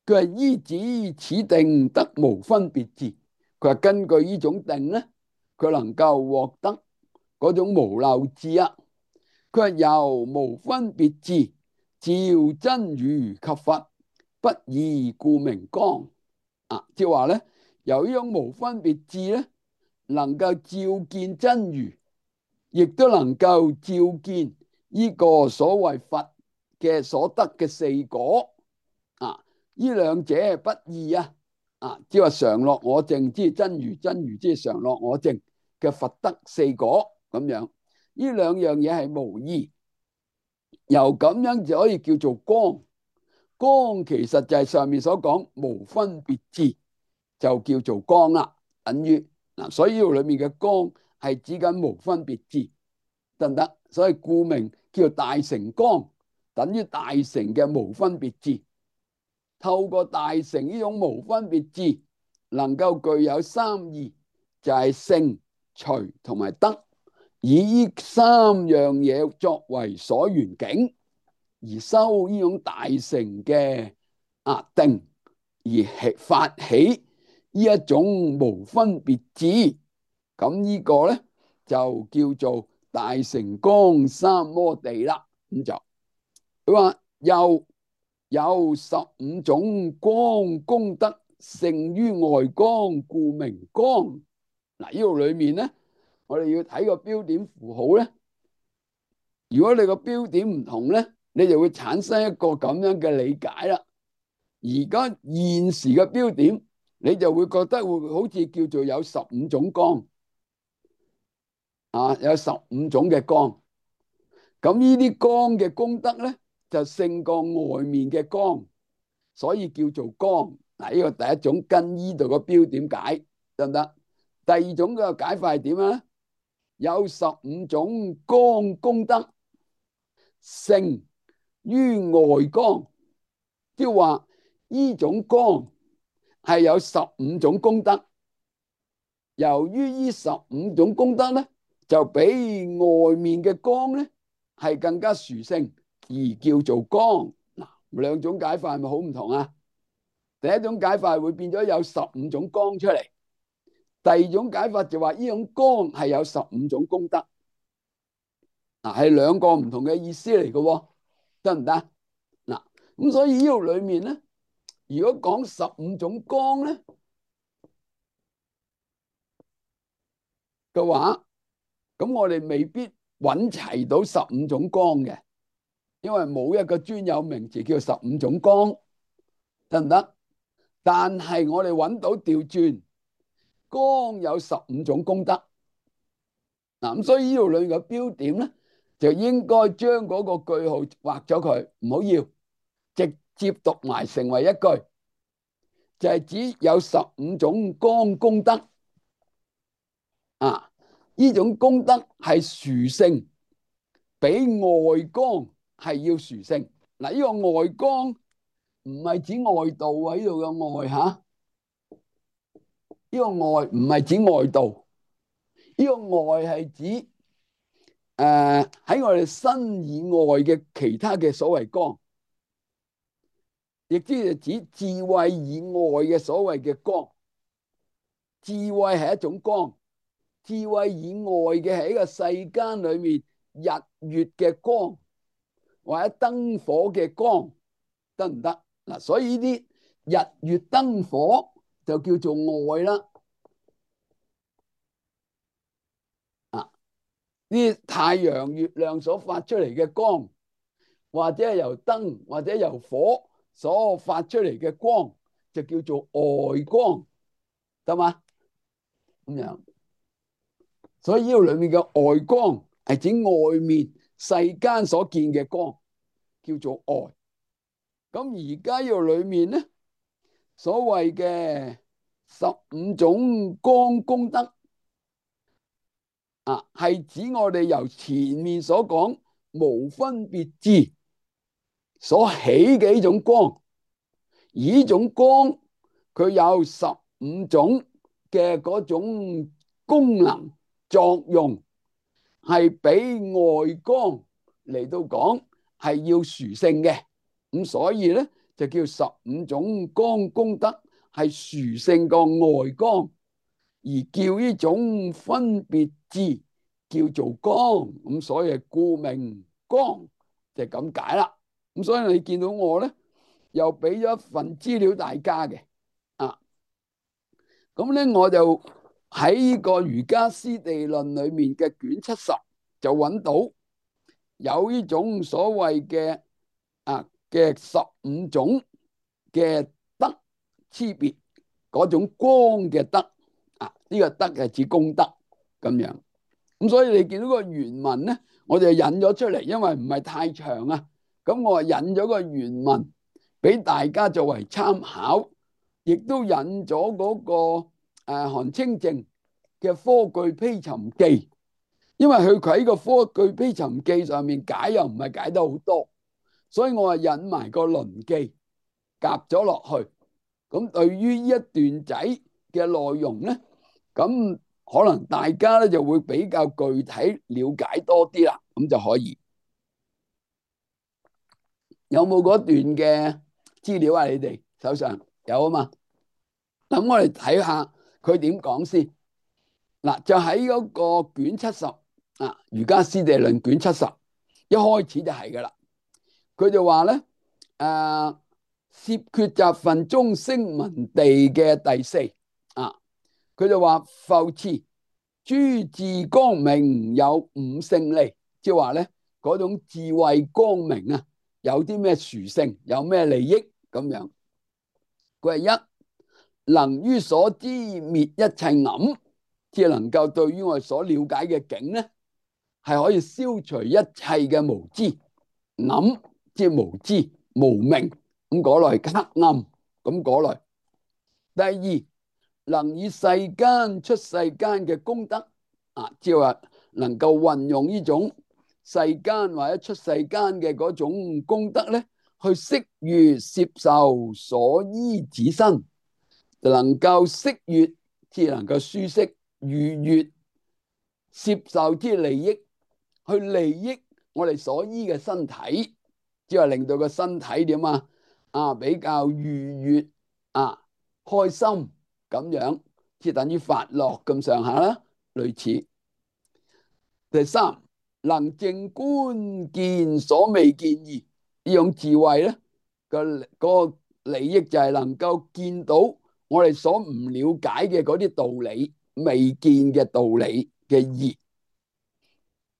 佢話依止此定得無分別智。佢話根據呢種定咧，佢能夠獲得嗰種無漏智啊。佢話由無分別智照真如及佛，不異故名光啊。即係話咧，由呢種無分別智咧，能夠照見真如，亦都能夠照見呢個所謂佛嘅所得嘅四果啊，呢兩者不異啊，啊，即係話常樂我淨，即係真如，真如即係常樂我淨嘅佛得四果咁樣，呢兩樣嘢係無異，由咁樣就可以叫做光。光其實就係上面所講無分別智，就叫做光啦，等於嗱，所以呢度裏面嘅光係指緊無分別智，得唔得？所以顧名叫大成光，等於大成嘅無分別智。透過大成呢種無分別智，能夠具有三義，就係聖、隨同埋得，以呢三樣嘢作為所緣境，而修呢種大成嘅啊定，而發起呢一種無分別智，咁呢個咧就叫做大成光三摩地啦。咁就佢話又有十五種光功德勝於外光，故名光。嗱，呢度裏面咧，我哋要睇個標點符號咧。如果你個標點唔同咧，你就會產生一個咁樣嘅理解啦。而家現時嘅標點，你就會覺得會好似叫做有十五種光啊，有十五種嘅光。咁呢啲光嘅功德咧，就勝過外面嘅光，所以叫做光。嗱，呢個第一種跟呢度個標點解得唔得？第二種嘅解法係點啊？有十五種光功德勝於外光，即係話呢種光係有十五種功德。由於呢十五種功德咧，就比外面嘅光咧係更加殊勝，而叫做光。嗱，兩種解法係咪好唔同啊？第一種解法會變咗有十五種光出嚟，第二種解法就話呢種光係有十五種功德。嗱，係兩個唔同嘅意思嚟嘅，得唔得？嗱，咁所以呢度裏面咧，如果講十五種光咧嘅話，咁我哋未必揾齊到十五種光嘅，因為冇一個專有名詞叫十五種光，得唔得？但係我哋揾到調轉，光有十五種功德。嗱，咁所以呢度裏面嘅標點咧，就應該將嗰個句號畫咗佢，唔好要，直接讀埋成為一句，就係指有十五種光功德啊！呢種功德係殊勝，比外光係要殊勝。嗱，呢個外光唔係指外道喺度嘅外吓，呢個外唔係指外道，呢個外係指誒喺我哋身以外嘅其他嘅所謂光，亦即係指智慧以外嘅所謂嘅光。智慧係一種光，智慧以外嘅係一個世間裏面日月嘅光，或者燈火嘅光，得唔得？嗱，所以呢啲日月燈火就叫做外啦。啊，呢啲太陽、月亮所發出嚟嘅光，或者係由燈或者由火所發出嚟嘅光，就叫做外光，得嘛？咁樣，所以呢度裏面嘅外光係指外面世間所見嘅光，叫做外。咁而家呢度裏面咧，所謂嘅十五種光功德啊，係指我哋由前面所講無分別智所起嘅呢種光。而呢種光佢有十五種嘅嗰種功能作用，係比外光嚟到講係要殊勝嘅。咁所以咧就叫十五種光功德係殊勝過外光，而叫呢種分別智叫做光。咁所以故名光就係咁解啦。咁所以你見到我咧又俾咗一份資料大家嘅啊，咁咧我就喺呢個瑜伽師地論裏面嘅卷七十就揾到有呢種所謂嘅啊嘅十五種嘅德差別，嗰種光嘅德啊，呢、這個德係指功德咁樣。咁所以你見到個原文咧，我哋引咗出嚟，因為唔係太長啊。咁我引咗個原文俾大家作為參考，亦都引咗嗰、那個誒、啊、韓清靜嘅《科句披尋記》，因為佢喺個《科句披尋記》上面解又唔係解得好多，所以我係引埋個論記夾咗落去。咁對於呢一段仔嘅內容咧，咁可能大家咧就會比較具體了解多啲啦，咁就可以。有冇嗰段嘅資料啊？你哋手上有啊嘛？咁我哋睇下佢點講先。嗱，就喺嗰個卷七十啊，《瑜伽師地論》卷七十，一開始就係噶啦。佢就話咧，誒、呃，攝決集分中聲聞地嘅第四啊，佢就話復次諸智光明有五勝利，即係話咧嗰種智慧光明啊，有啲咩殊勝，有咩利益咁樣。佢係一能於所知滅一切暗，即係能夠對於我哋所了解嘅境咧，係可以消除一切嘅無知暗，即係無知無明咁嗰類黑暗咁嗰類。第二能以世間出世間嘅功德啊，即係話能夠運用呢種世間或者出世間嘅嗰種功德咧，去適悅攝受所依止身，就能夠適悅，即係能夠舒適愉悅攝受之利益，去利益我哋所依嘅身體，即係令到個身體點啊啊比較愉悅啊開心。咁樣即係等於發樂咁上下啦，類似。第三，能正觀見所未見義，呢種智慧咧個嗰個利益就係能夠見到我哋所唔了解嘅嗰啲道理，未見嘅道理嘅義。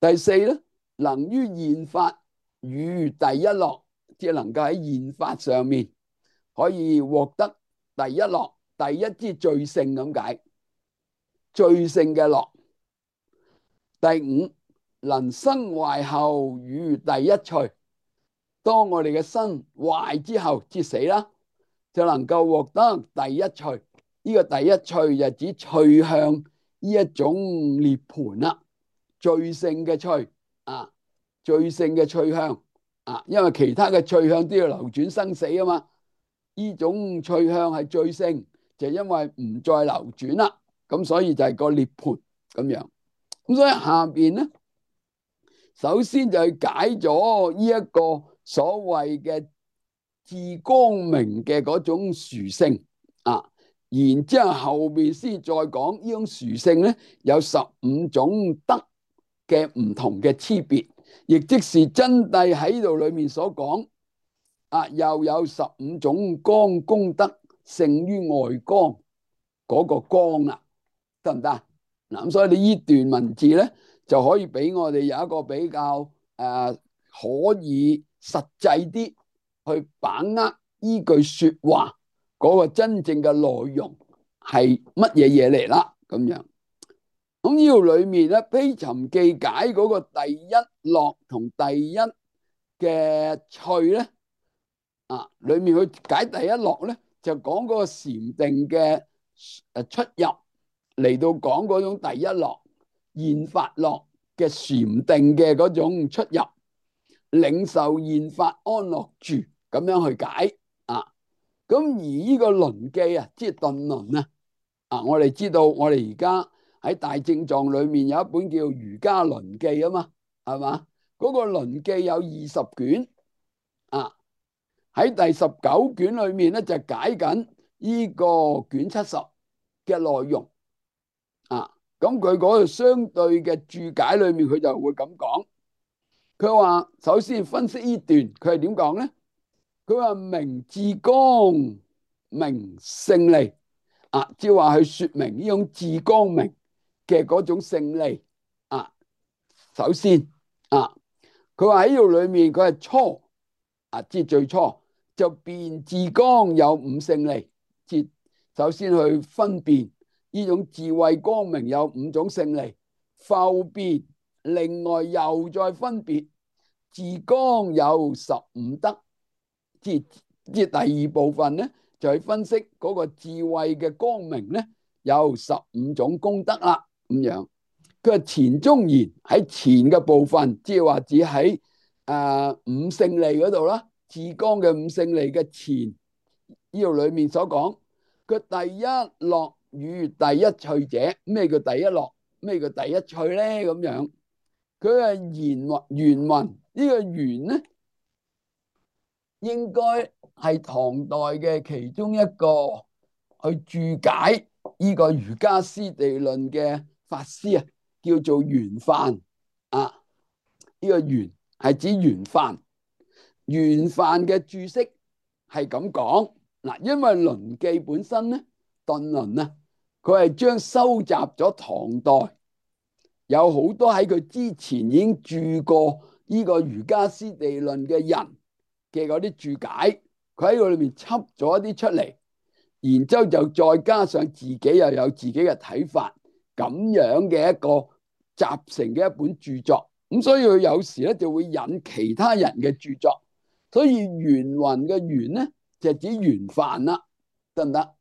第四咧，能於現法與第一樂，即係能夠喺現法上面可以獲得第一樂。第一之最勝咁解，最勝嘅樂。第五，能生壞後與第一趣，當我哋嘅身壞之後，即死啦，就能夠獲得第一趣。呢、這個第一趣就指趣向呢一種涅槃啦，最勝嘅趣啊，最勝嘅趣向啊，因為其他嘅趣向都要流轉生死啊嘛，呢種趣向係最勝。就因為唔再流轉啦，咁所以就係個涅槃咁樣。咁所以下邊咧，首先就係解咗呢一個所謂嘅智光明嘅嗰種殊勝啊，然之後後邊先再講呢種殊勝咧，有十五種德嘅唔同嘅差別，亦即是真諦喺度裏面所講啊，又有十五種光功德。勝於外光嗰個光啦，得唔得？嗱，咁所以你呢段文字咧，就可以俾我哋有一個比較誒、呃、可以實際啲去把握依句說話嗰個真正嘅內容係乜嘢嘢嚟啦。咁樣咁呢度裏面咧，披尋記解嗰個第一樂同第一嘅趣咧，啊，裏面去解第一樂咧。就講嗰個禪定嘅誒出入，嚟到講嗰種第一樂現法樂嘅禪定嘅嗰種出入，領受現法安樂住咁樣去解啊。咁而呢個輪記啊，即係頓輪啊，啊，我哋知道我哋而家喺大正藏裏面有一本叫《瑜伽輪記》啊嘛，係嘛？嗰個輪記有二十卷啊。喺第十九卷裏面咧，就解緊呢個卷七十嘅內容啊。咁佢嗰度相對嘅注解裏面，佢就會咁講。佢話首先分析呢段，佢係點講咧？佢話明智光明勝利啊，即係話去說明呢種智光明嘅嗰種勝利啊。首先啊。佢話喺呢度裏面佢係初啊，即係最初就辨自光有五勝利，即首先去分辨呢種智慧光明有五種勝利，後邊另外又再分別自光有十五德，即即第二部分咧就去分析嗰個智慧嘅光明咧有十五種功德啦，咁樣。佢話前中言喺前嘅部分，即係話只喺誒五勝利嗰度啦，自光嘅五勝利嘅前呢度裏面所講，佢第一樂與第一趣者，咩叫第一樂？咩叫第一趣咧？咁樣，佢係言原文呢個原咧，應該係唐代嘅其中一個去注解呢個瑜伽師地論嘅法師啊，叫做玄範啊。呢個玄係指玄範，玄範嘅注釋係咁講嗱，因為論記本身咧，頓論啊，佢係將收集咗唐代有好多喺佢之前已經注過呢個瑜伽師地論嘅人嘅嗰啲注解，佢喺個裏面輯咗一啲出嚟，然之後就再加上自己又有自己嘅睇法，咁樣嘅一個集成嘅一本著作。咁所以佢有時咧就會引其他人嘅著作，所以玄雲嘅玄咧就指玄範啦，得唔得？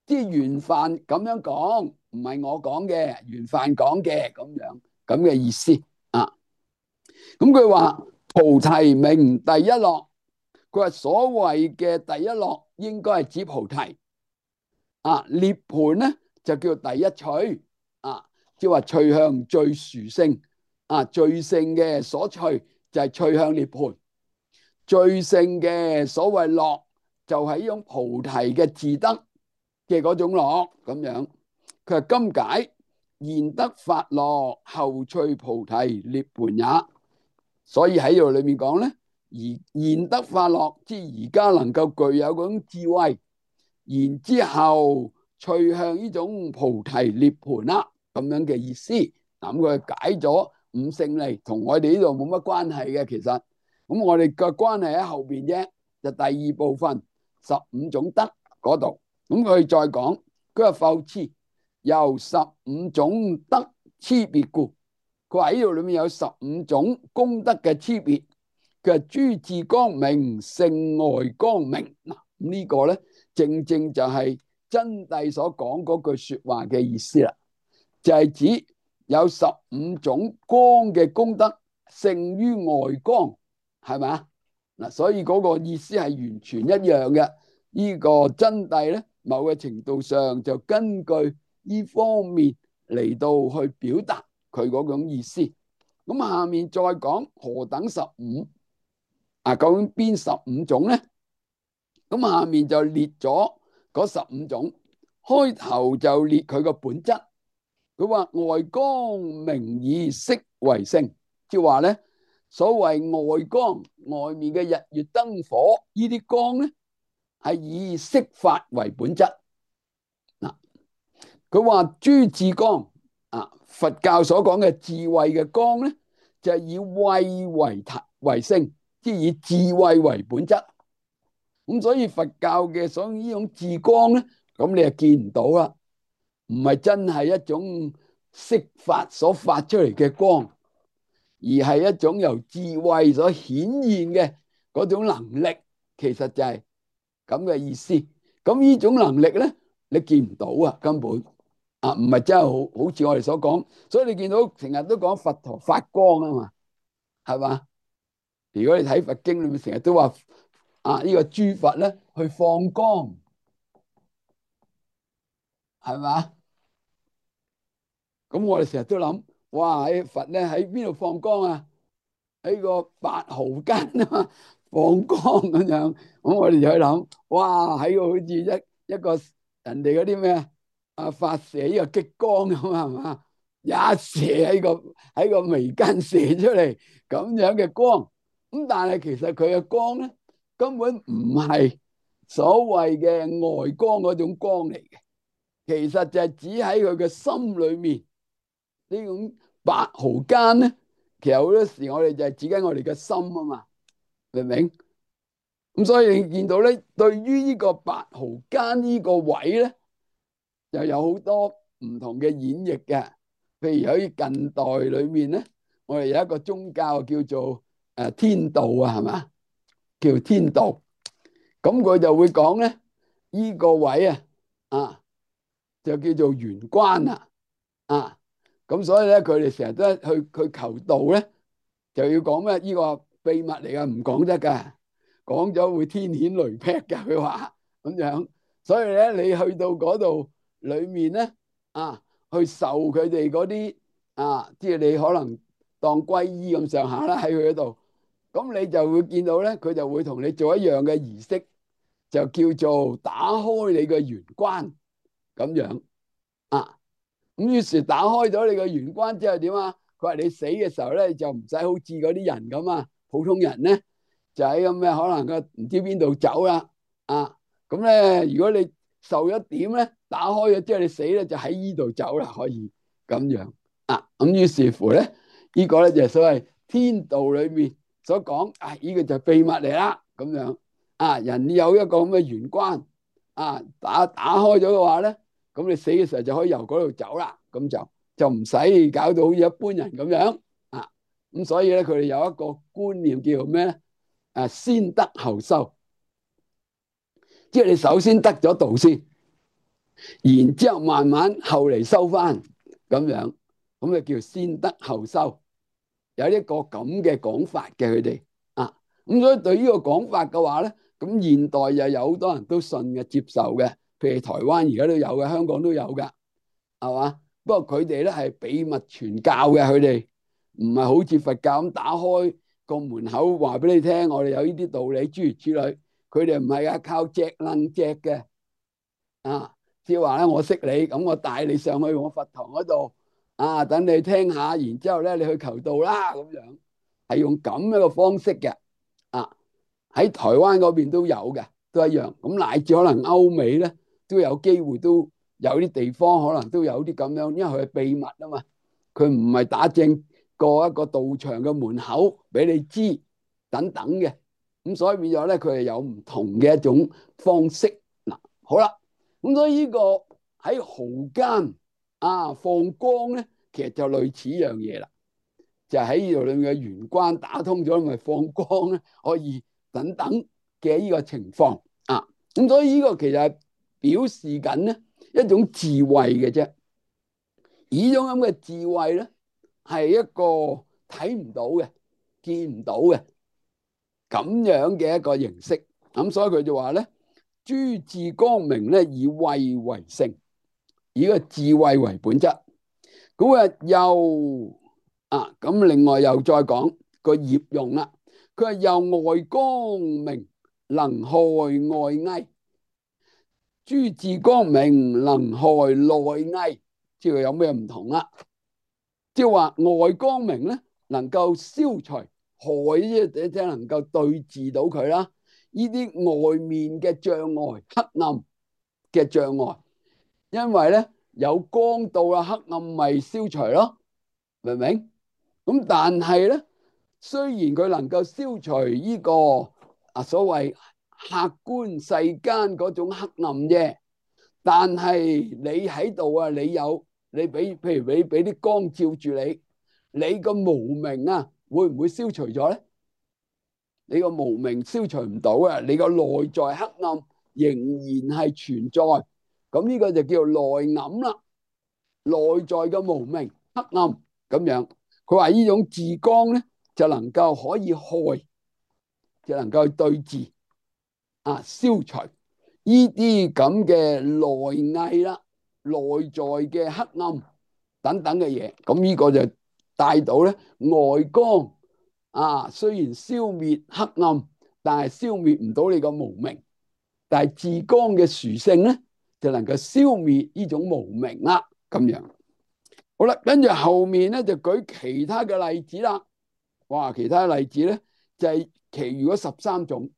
即係玄範咁樣講，唔係我講嘅，玄範講嘅咁樣咁嘅意思啊。咁佢話菩提名第一樂，佢話所謂嘅第一樂應該係指菩提啊，涅槃咧就叫第一趣啊，即係話趣向最殊勝。啊，最勝嘅所趣就係趣向涅槃，最勝嘅所謂樂就係呢種菩提嘅自得嘅嗰種樂咁樣。佢係今解現得法樂，後趣菩提涅槃也。所以喺呢度裏面講咧，而現得法樂，即係而家能夠具有嗰種智慧，然之後趣向呢種菩提涅槃啦，咁樣嘅意思。咁佢解咗五勝利同我哋呢度冇乜關係嘅，其實咁我哋嘅關係喺後邊啫，就第二部分十五種德嗰度。咁佢再講，佢話復次由十五種德差別故，佢話呢度裏面有十五種功德嘅差別。佢話諸智光明勝外光明嗱，咁呢個咧正正就係真諦所講嗰句說話嘅意思啦，就係指有十五種光嘅功德勝於外光，係咪啊？嗱，所以嗰個意思係完全一樣嘅。呢個真諦咧，某個程度上就根據呢方面嚟到去表達佢嗰種意思。咁下面再講何等十五啊？究竟邊十五種咧？咁下面就列咗嗰十五種，開頭就列佢個本質。佢話外光明以色為性，即係話咧，所謂外光，外面嘅日月燈火呢啲光咧，係以色法為本質。嗱，佢話諸智光啊，佛教所講嘅智慧嘅光咧，就係以慧為體為性，即係以智慧為本質。咁所以佛教嘅所呢種智光咧，咁你就見唔到啦。唔係真係一種色法所發出嚟嘅光，而係一種由智慧所顯現嘅嗰種能力，其實就係咁嘅意思。咁呢種能力咧，你見唔到啊，根本啊，唔係真係好好似我哋所講。所以你見到成日都講佛陀發光啊嘛，係嘛？如果你睇佛經裏面成日都話啊，呢個諸佛咧去放光，係嘛？咁我哋成日都諗，哇！喺佛咧喺邊度放光啊？喺個白毫間啊嘛，放光咁樣。咁我哋就去諗，哇！喺個好似一一個人哋嗰啲咩啊發射呢個激光咁啊，係嘛？一射喺個喺個眉間射出嚟咁樣嘅光。咁但係其實佢嘅光咧根本唔係所謂嘅外光嗰種光嚟嘅，其實就係只喺佢嘅心裏面。呢種白毫間咧，其實好多時我哋就係指緊我哋嘅心啊嘛，明唔明？咁所以你見到咧，對於呢個八毫間呢個位咧，又有好多唔同嘅演繹嘅。譬如喺近代裏面咧，我哋有一個宗教叫做誒天道啊，係嘛？叫天道。咁佢就會講咧，呢個位啊，啊就叫做玄關啊，啊咁所以咧，佢哋成日都去去求道咧，就要講咩？呢個秘密嚟噶，唔講得噶，講咗會天譴雷劈噶。佢話咁樣，所以咧，你去到嗰度裏面咧，啊，去受佢哋嗰啲啊，即係你可能當皈依咁上下啦，喺佢嗰度，咁你就會見到咧，佢就會同你做一樣嘅儀式，就叫做打開你嘅玄關咁樣啊。咁於是打開咗你個玄關之後點啊？佢話你死嘅時候咧，就唔使好似嗰啲人咁啊，普通人咧就喺咁嘅可能個唔知邊度走啦啊！咁咧如果你受一點咧，打開咗之後你死咧，就喺依度走啦，可以咁樣啊！咁於是乎咧，呢個咧就係所謂天道裏面所講啊，呢個就秘密嚟啦，咁樣啊，人有一個咁嘅玄關啊，打打開咗嘅話咧。咁你死嘅時候就可以由嗰度走啦，咁就就唔使搞到好似一般人咁樣啊。咁所以咧，佢哋有一個觀念叫做咩咧？誒，先得後收，即係你首先得咗道先，然之後慢慢後嚟收翻咁樣，咁就叫先得後收。有一個咁嘅講法嘅佢哋啊。咁所以對呢個講法嘅話咧，咁現代又有好多人都信嘅、接受嘅。譬如台灣而家都有嘅，香港都有噶，係嘛？不過佢哋咧係秘密傳教嘅，佢哋唔係好似佛教咁打開個門口話俾你聽，我哋有呢啲道理諸如此類。佢哋唔係啊，靠隻楞隻嘅啊，即係話咧，我識你，咁我帶你上去我佛堂嗰度啊，等你聽下，然之後咧你去求道啦，咁樣係用咁樣嘅方式嘅啊。喺台灣嗰邊都有嘅，都一樣。咁乃至可能歐美咧。都有機會，都有啲地方可能都有啲咁樣，因為佢係秘密啊嘛，佢唔係打正過一個道場嘅門口俾你知等等嘅，咁所以變咗咧，佢係有唔同嘅一種方式嗱。好啦，咁所以呢個喺毫間啊放光咧，其實就類似一樣嘢啦，就喺呢度裏面嘅玄關打通咗，咪放光咧，可以等等嘅呢個情況啊。咁所以呢個其實係表示緊咧一種智慧嘅啫，而呢種咁嘅智慧咧係一個睇唔到嘅、見唔到嘅咁樣嘅一個形式。咁所以佢就話咧，諸智光明咧以慧為性，以個智慧為本質。咁啊又啊咁，另外又再講個業用啦。佢話又外光明，能害外翳。諸智光明能害內翳，即係有咩唔同啦？即係話外光明咧，能夠消除害，即係能夠對治到佢啦。呢啲外面嘅障礙、黑暗嘅障礙，因為咧有光到啦，黑暗咪消除咯，明唔明？咁但係咧，雖然佢能夠消除呢個啊所謂客觀世間嗰種黑暗啫。但係你喺度啊，你有你俾，譬如你俾啲光照住你，你個無明啊，會唔會消除咗咧？你個無明消除唔到啊，你個內在黑暗仍然係存在，咁呢個就叫做內暗啦。內在嘅無明黑暗咁樣，佢話呢種智光咧，就能夠可以害，就能夠對治啊，消除呢啲咁嘅內翳啦、內在嘅黑暗等等嘅嘢，咁呢個就帶到咧外光啊。雖然消滅黑暗，但係消滅唔到你個無明。但係智光嘅殊勝咧，就能夠消滅呢種無明啦。咁樣好啦，跟住後面咧就舉其他嘅例子啦。哇，其他例子咧就係其餘嗰十三種，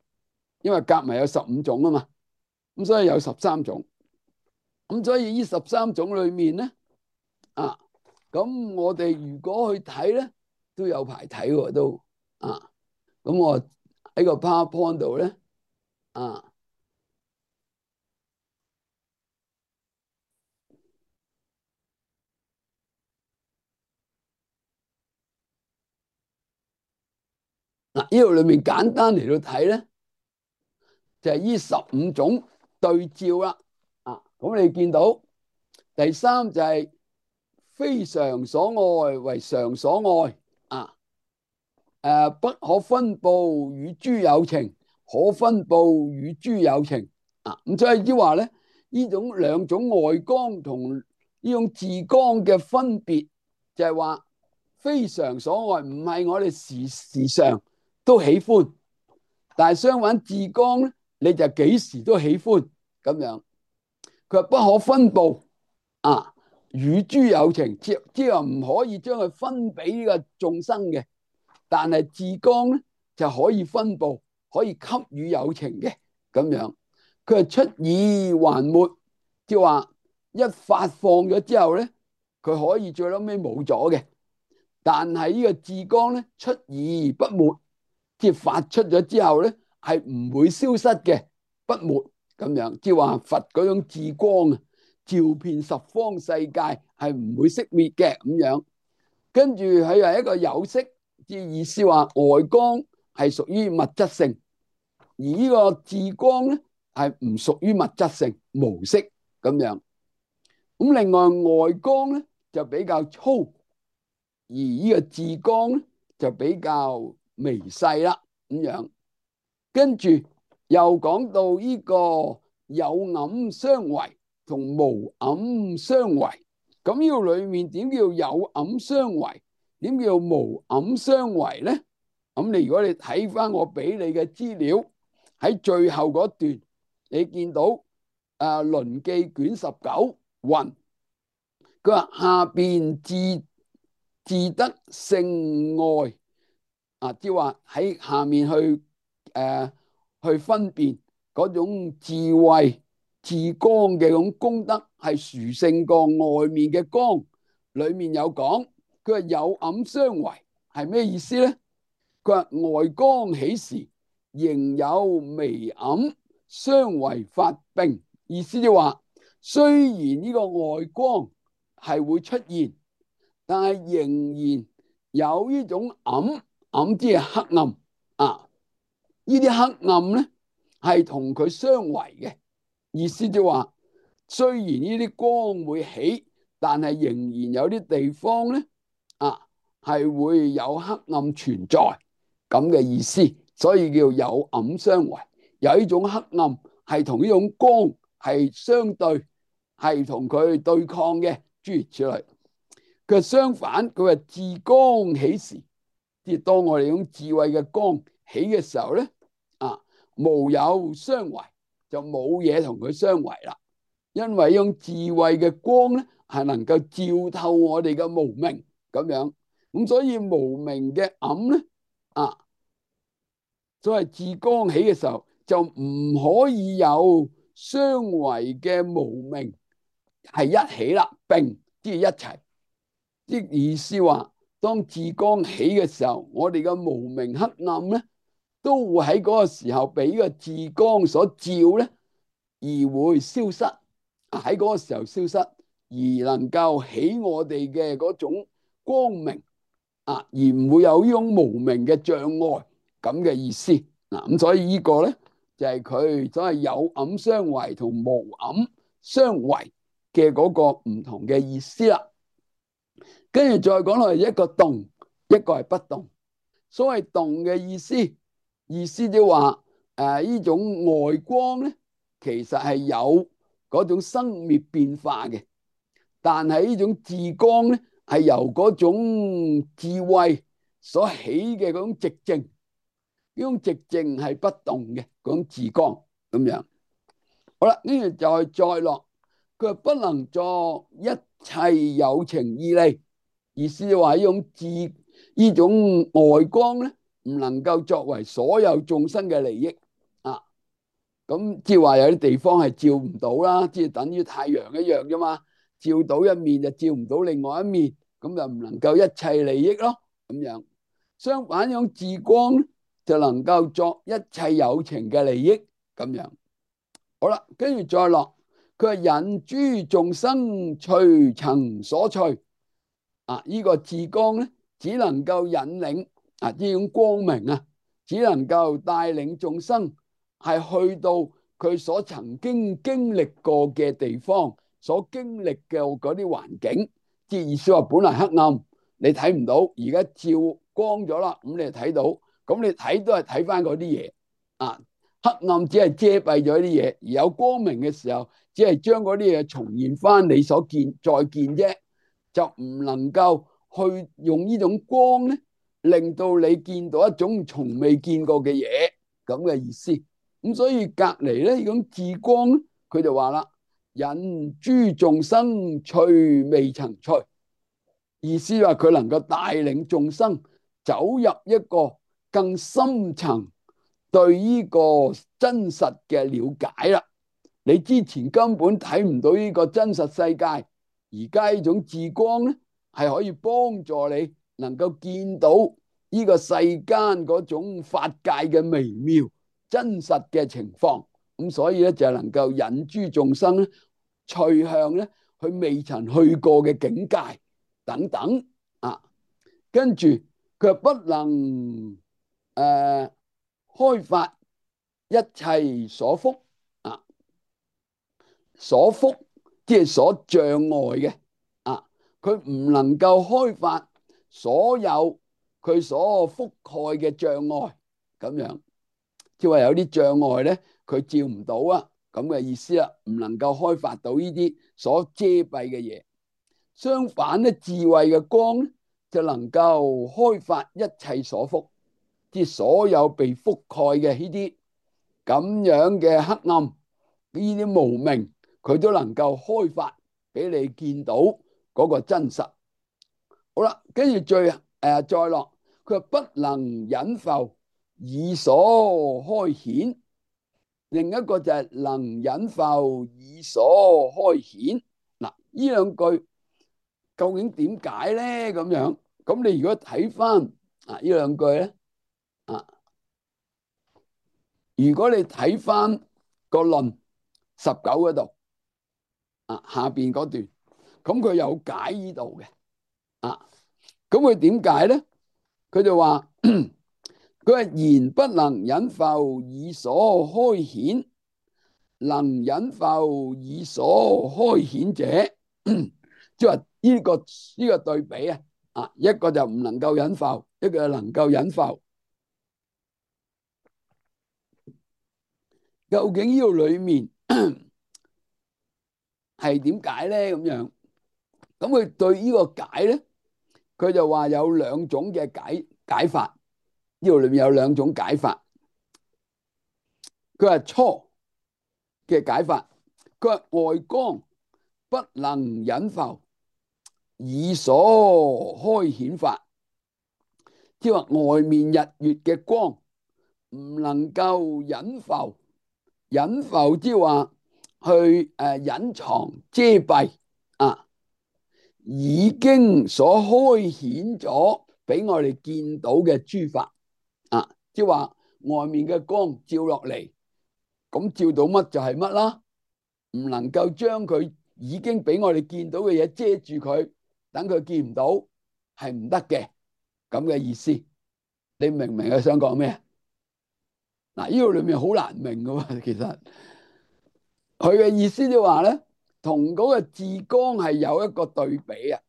因為夾埋有十五種啊嘛。咁所以有十三種，咁所以呢十三種裏面咧，啊，咁我哋如果去睇咧，都有排睇喎都啊。咁我喺個 PowerPoint 度咧啊。嗱，呢度裏面簡單嚟到睇咧，就係呢十五種對照啦。啊，咁你見到第三就係非常所愛為常所愛啊。誒，不可分報與諸有情，可分報與諸有情啊。咁所以即係話咧，呢種兩種外光同呢種自光嘅分別，就係話非常所愛唔係我哋時時常都喜歡，但係相反自光咧，你就幾時都喜歡咁樣。佢話不可分報啊，與諸有情，即即係話唔可以將佢分俾呢個眾生嘅。但係自光咧就可以分佈，可以給予有情嘅咁樣。佢係出爾還沒，即係話一發放咗之後咧，佢可以最屘尾冇咗嘅。但係呢個自光咧出而不沒，即係發出咗之後咧係唔會消失嘅，不沒咁樣。即係話佛嗰種自光啊，照遍十方世界係唔會熄滅嘅咁樣。跟住佢係一個有色。即意思話外光係屬於物質性，而呢個自光咧係唔屬於物質性，無色咁樣。咁另外外光咧就比較粗，而呢個自光咧就比較微細啦咁樣。跟住又講到呢個有暗相違同無暗相違。咁呢個裏面點叫有暗相違？點叫無暗相違咧？咁你如果你睇翻我俾你嘅資料，喺最後嗰段，你見到誒《輪記》卷十九云，佢話下邊自自得性愛啊，即係話喺下面去誒、呃、去分辨嗰種智慧自光嘅種功德係殊勝過外面嘅光，裏面有講。佢話有暗相違係咩意思咧？佢話外光起時，仍有微暗相違發並。意思就話，雖然呢個外光係會出現，但係仍然有呢種暗，暗即係黑暗啊。呢啲黑暗咧係同佢相違嘅。意思就話，雖然呢啲光會起，但係仍然有啲地方咧。啊，係會有黑暗存在咁嘅意思，所以叫有暗相違。有呢種黑暗係同呢種光係相對，係同佢對抗嘅，諸如此類。佢相反，佢話自光起時，即係當我哋用智慧嘅光起嘅時候咧，啊，無有相違，就冇嘢同佢相違啦。因為用智慧嘅光咧，係能夠照透我哋嘅無明。咁樣，咁所以無明嘅暗咧，啊，所謂自光起嘅時候，就唔可以有相違嘅無明係一起啦，並即係一齊。即意思話，當自光起嘅時候，我哋嘅無明黑暗咧，都會喺嗰個時候俾個自光所照咧，而會消失。喺嗰個時候消失，而能夠起我哋嘅嗰種光明啊，而唔會有呢種無明嘅障礙咁嘅意思嗱。咁所以呢個咧就係佢所謂有暗相違同無暗相違嘅嗰個唔同嘅意思啦。跟住再講落嚟，一個動，一個係不動。所謂動嘅意思，意思就話誒呢種外光咧，其實係有嗰種生滅變化嘅，但係呢種自光咧係由嗰種智慧所起嘅嗰種寂靜，呢種寂靜係不動嘅嗰種自光咁樣。好啦，跟住就再落，佢話不能作一切有情義利，意思就話呢種自呢種外光咧唔能夠作為所有眾生嘅利益啊。咁即係話有啲地方係照唔到啦，即係等於太陽一樣啫嘛，照到一面就照唔到另外一面，咁就唔能夠一切利益咯。咁樣。相反，用自光就能夠作一切有情嘅利益咁樣。好啦，跟住再落，佢係引諸眾生隨曾所趣。啊！呢、這個自光咧，只能夠引領啊呢種光明啊，只能夠帶領眾生係去到佢所曾經經歷過嘅地方，所經歷嘅嗰啲環境。即係意思話，本來黑暗，你睇唔到，而家照光咗啦，咁你就睇到。咁你睇都係睇翻嗰啲嘢啊。黑暗只係遮蔽咗啲嘢，而有光明嘅時候，只係將嗰啲嘢重現翻你所見再見啫。就唔能夠去用呢種光咧，令到你見到一種從未見過嘅嘢咁嘅意思。咁所以隔籬咧呢種自光咧，佢就話啦：引諸眾生趣未曾趣。意思話佢能夠帶領眾生走入一個更深層對呢個真實嘅了解啦。你之前根本睇唔到呢個真實世界，而家呢種自光咧，係可以幫助你能夠見到呢個世間嗰種法界嘅微妙真實嘅情況。咁所以咧就能夠引諸眾生咧趣向咧佢未曾去過嘅境界等等啊。跟住佢不能誒、呃、開發一切所伏啊。所伏即係所障礙嘅啊，佢唔能夠開發所有佢所覆蓋嘅障礙咁樣，即係話有啲障礙咧，佢照唔到啊，咁嘅意思啦，唔能夠開發到呢啲所遮蔽嘅嘢。相反咧，智慧嘅光咧就能夠開發一切所伏，即係所有被覆蓋嘅呢啲咁樣嘅黑暗，呢啲無明。佢都能夠開發俾你見到嗰個真實。好啦，跟住最誒、呃、再落，佢話不能隱浮以所開顯。另一個就係能隱浮以所開顯。嗱，呢兩句究竟點解咧？咁樣，咁你如果睇翻啊呢兩句咧啊，如果你睇翻個論十九嗰度。啊，下邊嗰段，咁佢有解呢度嘅，啊，咁佢點解咧？佢就話佢係言不能隱浮以所開顯，能隱浮以所開顯者，即係話呢個呢個對比啊，啊，一個就唔能夠隱浮，一個就能夠隱浮。究竟呢度裏面係點解咧？咁樣，咁佢對呢個解咧？佢就話有兩種嘅解解法，呢度裏面有兩種解法。佢話初嘅解法，佢話外光不能隱浮以所開顯法，即係話外面日月嘅光唔能夠隱浮，隱浮即係話去誒隱藏遮蔽啊，已經所開顯咗俾我哋見到嘅諸法啊，即係話外面嘅光照落嚟，咁照到乜就係乜啦，唔能夠將佢已經俾我哋見到嘅嘢遮住佢，等佢見唔到，係唔得嘅，咁嘅意思。你明唔明佢想講咩？嗱，呢度裏面好難明噶喎，其實佢嘅意思就話咧，同嗰個自光係有一個對比啊。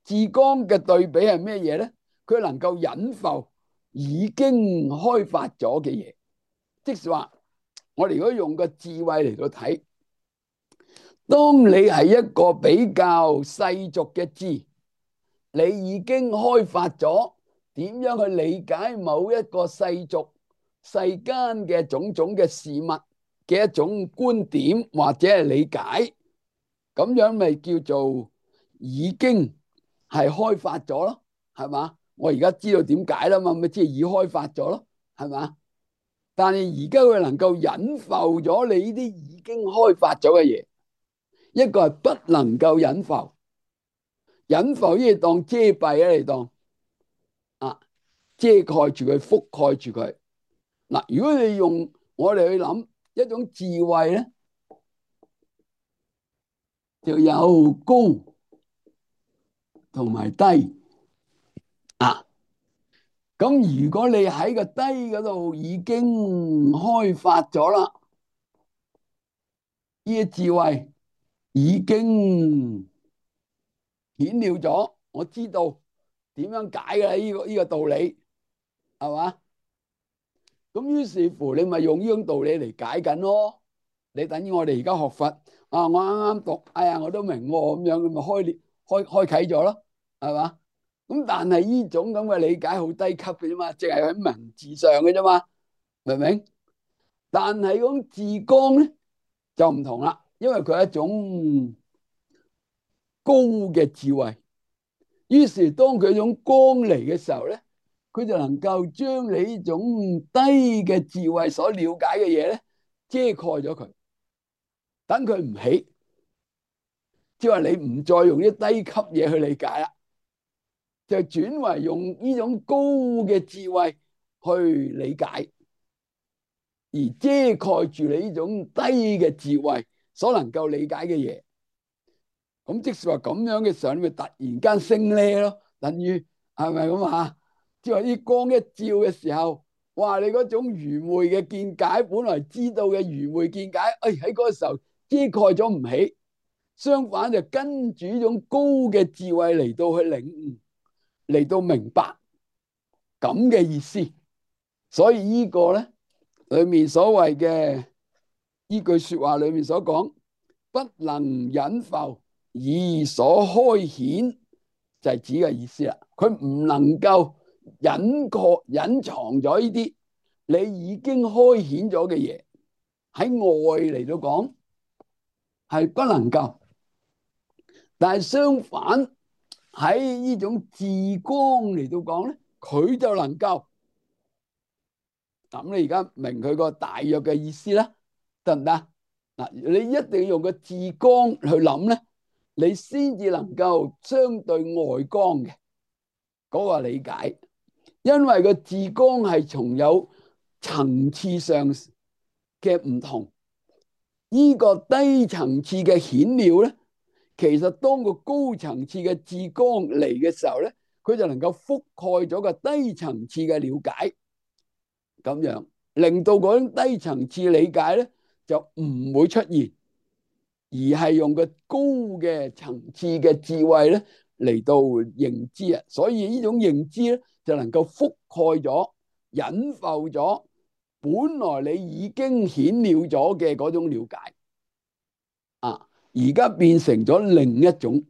自光嘅對比係咩嘢咧？佢能夠隱浮已經開發咗嘅嘢，即是話我哋如果用個智慧嚟到睇，當你係一個比較世俗嘅智，你已經開發咗點樣去理解某一個世俗世間嘅種種嘅事物嘅一種觀點或者係理解，咁樣咪叫做已經係開發咗咯，係嘛？我而家知道點解啦嘛，咪即係已開發咗咯，係嘛？但係而家佢能夠隱浮咗你呢啲已經開發咗嘅嘢，一個係不能夠隱浮，隱浮呢當遮蔽啊，你當啊，遮蓋住佢，覆蓋住佢。嗱，如果你用我哋去諗一種智慧咧，就有高同埋低啊。咁如果你喺個低嗰度已經開發咗啦，呢啲智慧已經顯了咗，我知道點樣解嘅呢個呢個道理，係嘛？咁於是乎你咪用呢種道理嚟解緊咯。你等於我哋而家學佛啊，我啱啱讀，哎呀我都明喎，咁樣咁咪開開開啟咗咯，係嘛？咁但係呢種咁嘅理解好低級嘅啫嘛，淨係喺文字上嘅啫嘛，明唔明？但係嗰種自光咧就唔同啦，因為佢係一種高嘅智慧。於是當佢種光嚟嘅時候咧，佢就能夠將你呢種低嘅智慧所了解嘅嘢咧遮蓋咗佢，等佢唔起，即係話你唔再用啲低級嘢去理解啦，就轉為用呢種高嘅智慧去理解，而遮蓋住你呢種低嘅智慧所能夠理解嘅嘢。咁即使話咁樣嘅時候，你咪突然間升呢咯，等於係咪咁啊？即係話啲光一照嘅時候，哇！你嗰種愚昧嘅見解，本來知道嘅愚昧見解，誒喺嗰個時候遮蓋咗唔起，相反就跟住呢種高嘅智慧嚟到去領悟，嚟到明白咁嘅意思。所以呢個咧裏面所謂嘅呢句說話裏面所講，不能隱浮以所開顯，就係指嘅意思啦。佢唔能夠隱確隱藏咗呢啲你已經開顯咗嘅嘢，喺外嚟到講係不能夠，但係相反喺呢種自光嚟到講咧，佢就能夠。咁你而家明佢個大約嘅意思啦，得唔得？嗱，你一定要用個自光去諗咧，你先至能夠相對外光嘅嗰個理解，因為個自光係從有層次上嘅唔同，呢個低層次嘅顯了咧，其實當個高層次嘅自光嚟嘅時候咧，佢就能夠覆蓋咗個低層次嘅了解，咁樣令到嗰種低層次理解咧就唔會出現，而係用個高嘅層次嘅智慧咧嚟到認知啊，所以呢種認知咧就能夠覆蓋咗、隱覆咗本來你已經顯了咗嘅嗰種了解啊，而家變成咗另一種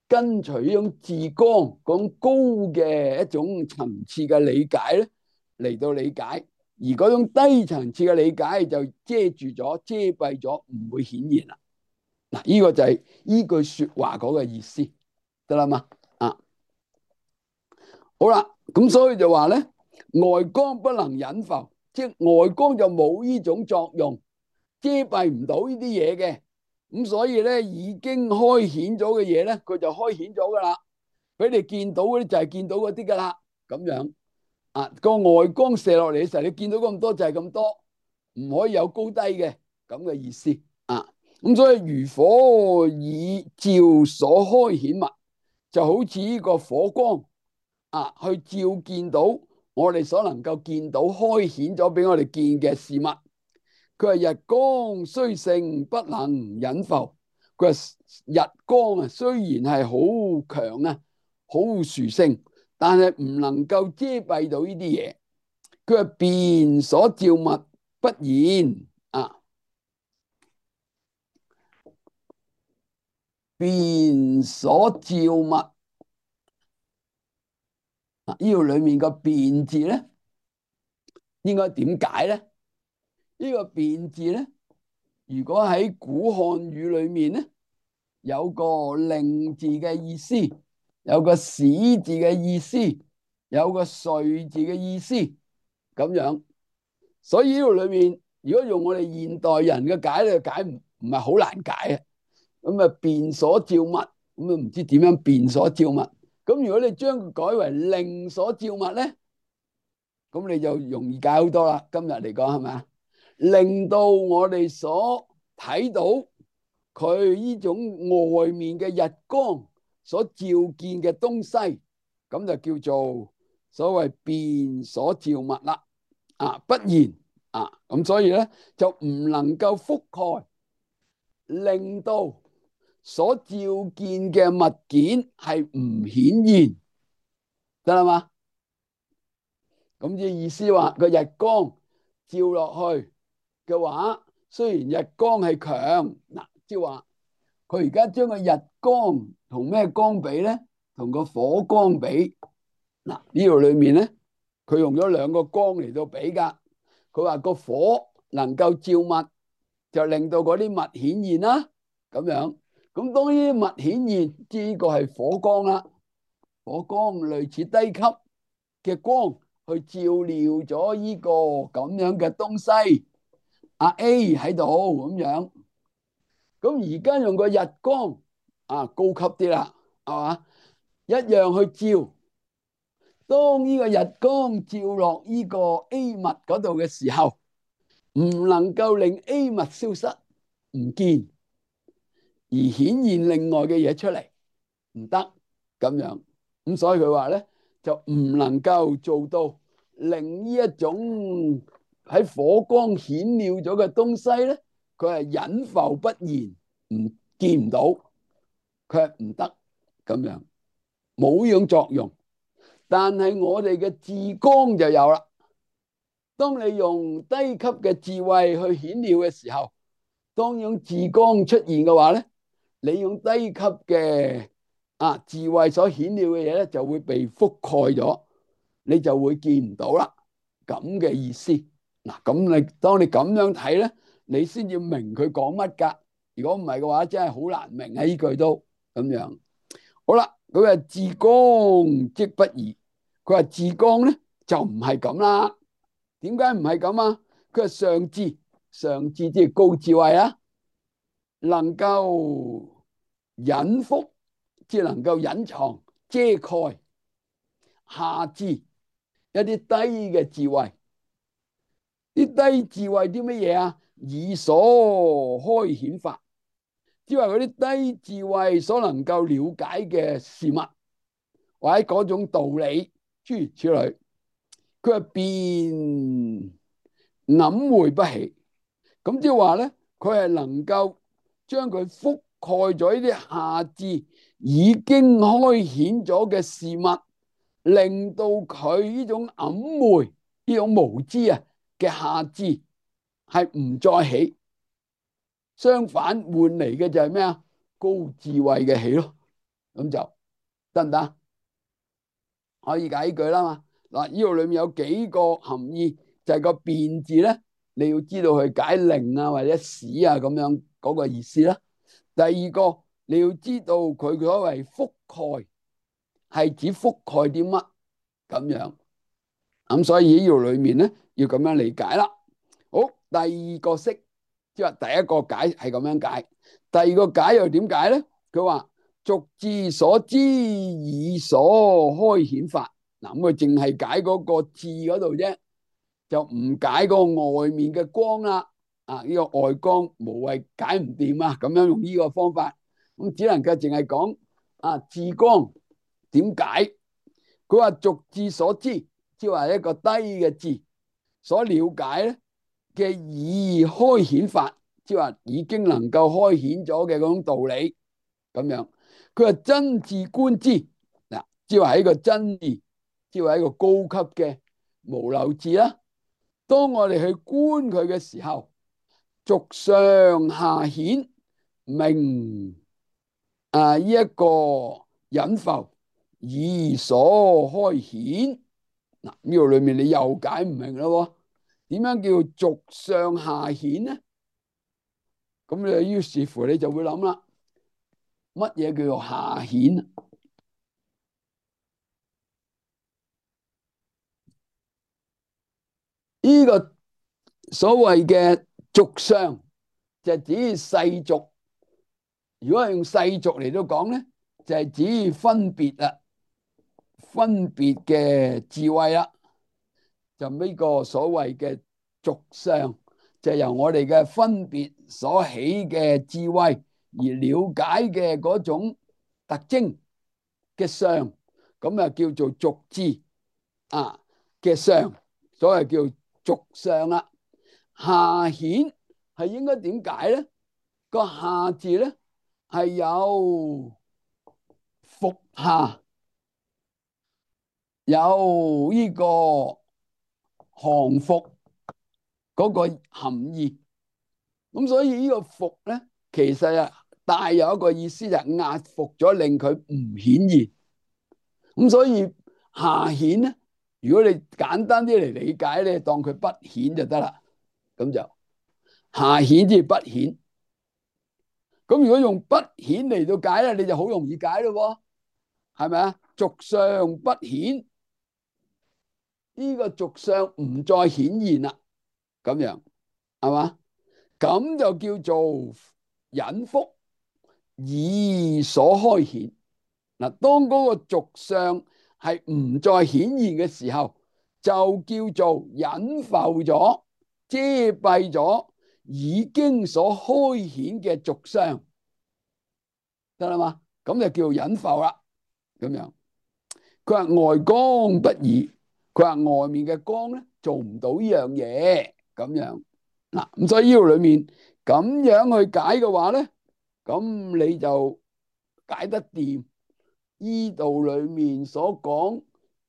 跟隨呢種自光嗰種高嘅一種層次嘅理解咧嚟到理解，而嗰種低層次嘅理解就遮住咗、遮蔽咗，唔會顯現啦。嗱，呢個就係依句說話嗰個意思，得啦嘛？啊，好啦，咁所以就話咧，外光不能隱浮，即係外光就冇呢種作用，遮蔽唔到呢啲嘢嘅。咁所以咧，已經開顯咗嘅嘢咧，佢就開顯咗噶啦，俾你見到嗰啲就係見到嗰啲噶啦，咁樣啊，個外光射落嚟嘅時候，你見到咁多就係咁多，唔可以有高低嘅咁嘅意思啊。咁所以如火以照所開顯物，就好似呢個火光啊，去照見到我哋所能夠見到開顯咗俾我哋見嘅事物。佢係日光雖盛不能隱浮，佢話日光啊雖然係好強啊，好殊勝，但係唔能夠遮蔽到呢啲嘢。佢話辨所照物不言啊。辨所照物啊，呢度裏面個辨字咧，應該點解咧？呢個辨字咧，如果喺古漢語裏面咧，有個令字嘅意思，有個使字嘅意思，有個遂字嘅意思，咁樣。所以呢度裏面，如果用我哋現代人嘅解咧，解唔唔係好難解啊。咁啊，辨所照物，咁啊唔知點樣辨所照物。咁咁如果你將佢改為令所照物咧，咁你就容易解好多啦。今日嚟講係咪啊？令到我哋所睇到佢呢種外面嘅日光所照見嘅東西，咁就叫做所謂變所照物啦。啊，不然啊，咁所以咧就唔能夠覆蓋，令到所照見嘅物件係唔顯現，得啦嘛？咁即係意思話個日光照落去嘅話，雖然日光係強，嗱，即係話佢而家將個日光同咩光比咧？同個火光比。嗱，呢度裏面咧，佢用咗兩個光嚟到比噶。佢話個火能夠照物，就令到嗰啲物顯現啦。咁樣，咁當呢啲物顯現，即係呢個係火光啦。火光類似低級嘅光，去照料咗呢個咁樣嘅東西。阿 A 喺度咁樣，咁而家用個日光啊，高級啲啦，係嘛？一樣去照。當呢個日光照落呢個 A 物嗰度嘅時候，唔能夠令 A 物消失唔見，而顯現另外嘅嘢出嚟，唔得咁樣。咁所以佢話咧，就唔能夠做到令呢一種喺火光顯了咗嘅東西咧，佢係隱浮不現，唔見唔到，佢係唔得咁樣，冇呢種作用。但係我哋嘅智光就有啦。當你用低級嘅智慧去顯了嘅時候，當用智光出現嘅話咧，你用低級嘅啊智慧所顯了嘅嘢咧，就會被覆蓋咗，你就會見唔到啦。咁嘅意思。嗱，咁你當你咁樣睇咧，你先至明佢講乜噶。如果唔係嘅話，真係好難明啊！呢句都咁樣。好啦，佢話智光即不移。佢話智光咧就唔係咁啦。點解唔係咁啊？佢係上智，上智即係高智慧啊，能夠隱覆，即係能夠隱藏遮蓋。下智一啲低嘅智慧，啲低智慧啲乜嘢啊？以所開顯法，即係話嗰啲低智慧所能夠了解嘅事物，或者嗰種道理，諸如此類。佢係變暗昧不起，咁即係話咧，佢係能夠將佢覆蓋咗呢啲下智已經開顯咗嘅事物，令到佢呢種暗昧、呢種無知啊嘅下智係唔再起，相反換嚟嘅就係咩啊？高智慧嘅起咯，咁就得唔得？可以解呢句啦嘛。嗱，呢度裏面有幾個含義，就係個變字咧，你要知道去解令啊或者使啊咁樣嗰個意思啦。第二個你要知道佢所謂覆蓋係指覆蓋啲乜咁樣，咁所以呢度裏面咧要咁樣理解啦。好，第二個式即係第一個解係咁樣解，第二個解又點解咧？佢話俗智所知以所開顯法。嗱，咁佢淨係解嗰個智嗰度啫，就唔解個外面嘅光啦。啊，呢個外光無謂解唔掂啊，咁樣用呢個方法，咁只能夠淨係講啊智光點解？佢話俗智所知，即係話一個低嘅智所了解咧嘅已開顯法，即係話已經能夠開顯咗嘅嗰種道理咁樣。佢話真智觀之，嗱，即係話係一個真義。即係一個高級嘅無漏智啦。當我哋去觀佢嘅時候，俗上下顯明啊，呢一個隱浮以所開顯。嗱，呢度裏面你又解唔明咯。點樣叫俗上下顯呢？咁你於是乎你就會諗啦，乜嘢叫做下顯？呢個所謂嘅俗上就係指世俗。如果係用世俗嚟到講咧，就係指分別啦。分別嘅智慧啦，就呢個所謂嘅俗相，就由我哋嘅分別所起嘅智慧而了解嘅嗰種特徵嘅相，咁啊叫做俗智啊嘅相，所謂叫俗相啦。下顯係應該點解咧？個下字咧係有服下，有呢個降服嗰個含義。咁所以呢個服咧，其實啊帶有一個意思，就係壓服咗，令佢唔顯現。咁所以下顯咧，如果你簡單啲嚟理解咧，當佢不顯就得啦。咁就下顯即係不顯。咁如果用不顯嚟到解咧，你就好容易解咯，係咪啊？俗相不顯，呢個俗相唔再顯現啦，咁樣係嘛？咁就叫做隱覆以所開顯。嗱，當嗰個俗相係唔再顯現嘅時候，就叫做隱覆咗、遮蔽咗已經所開顯嘅俗相，得啦嘛？咁就叫隱覆啦。咁樣，佢話外光不爾，佢話外面嘅光咧做唔到呢樣嘢，咁樣嗱。咁所以呢度裏面咁樣去解嘅話咧，咁你就解得掂。依度裏面所講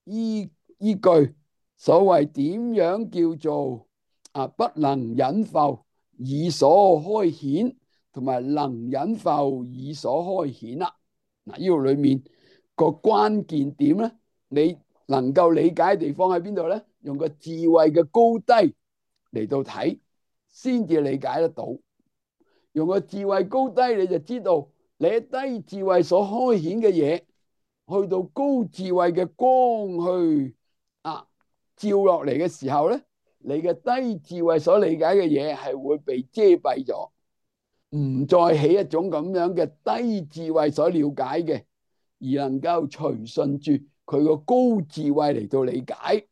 依依句所謂點樣叫做啊不能隱覆以所開顯，同埋能隱覆以所開顯啦。嗱，呢度裏面個關鍵點咧，你能夠理解嘅地方喺邊度咧？用個智慧嘅高低嚟到睇，先至理解得到。用個智慧高低，你就知道你喺低智慧所開顯嘅嘢，去到高智慧嘅光去啊照落嚟嘅時候咧，你嘅低智慧所理解嘅嘢係會被遮蔽咗，唔再起一種咁樣嘅低智慧所了解嘅，而能夠隨順住佢個高智慧嚟到理解。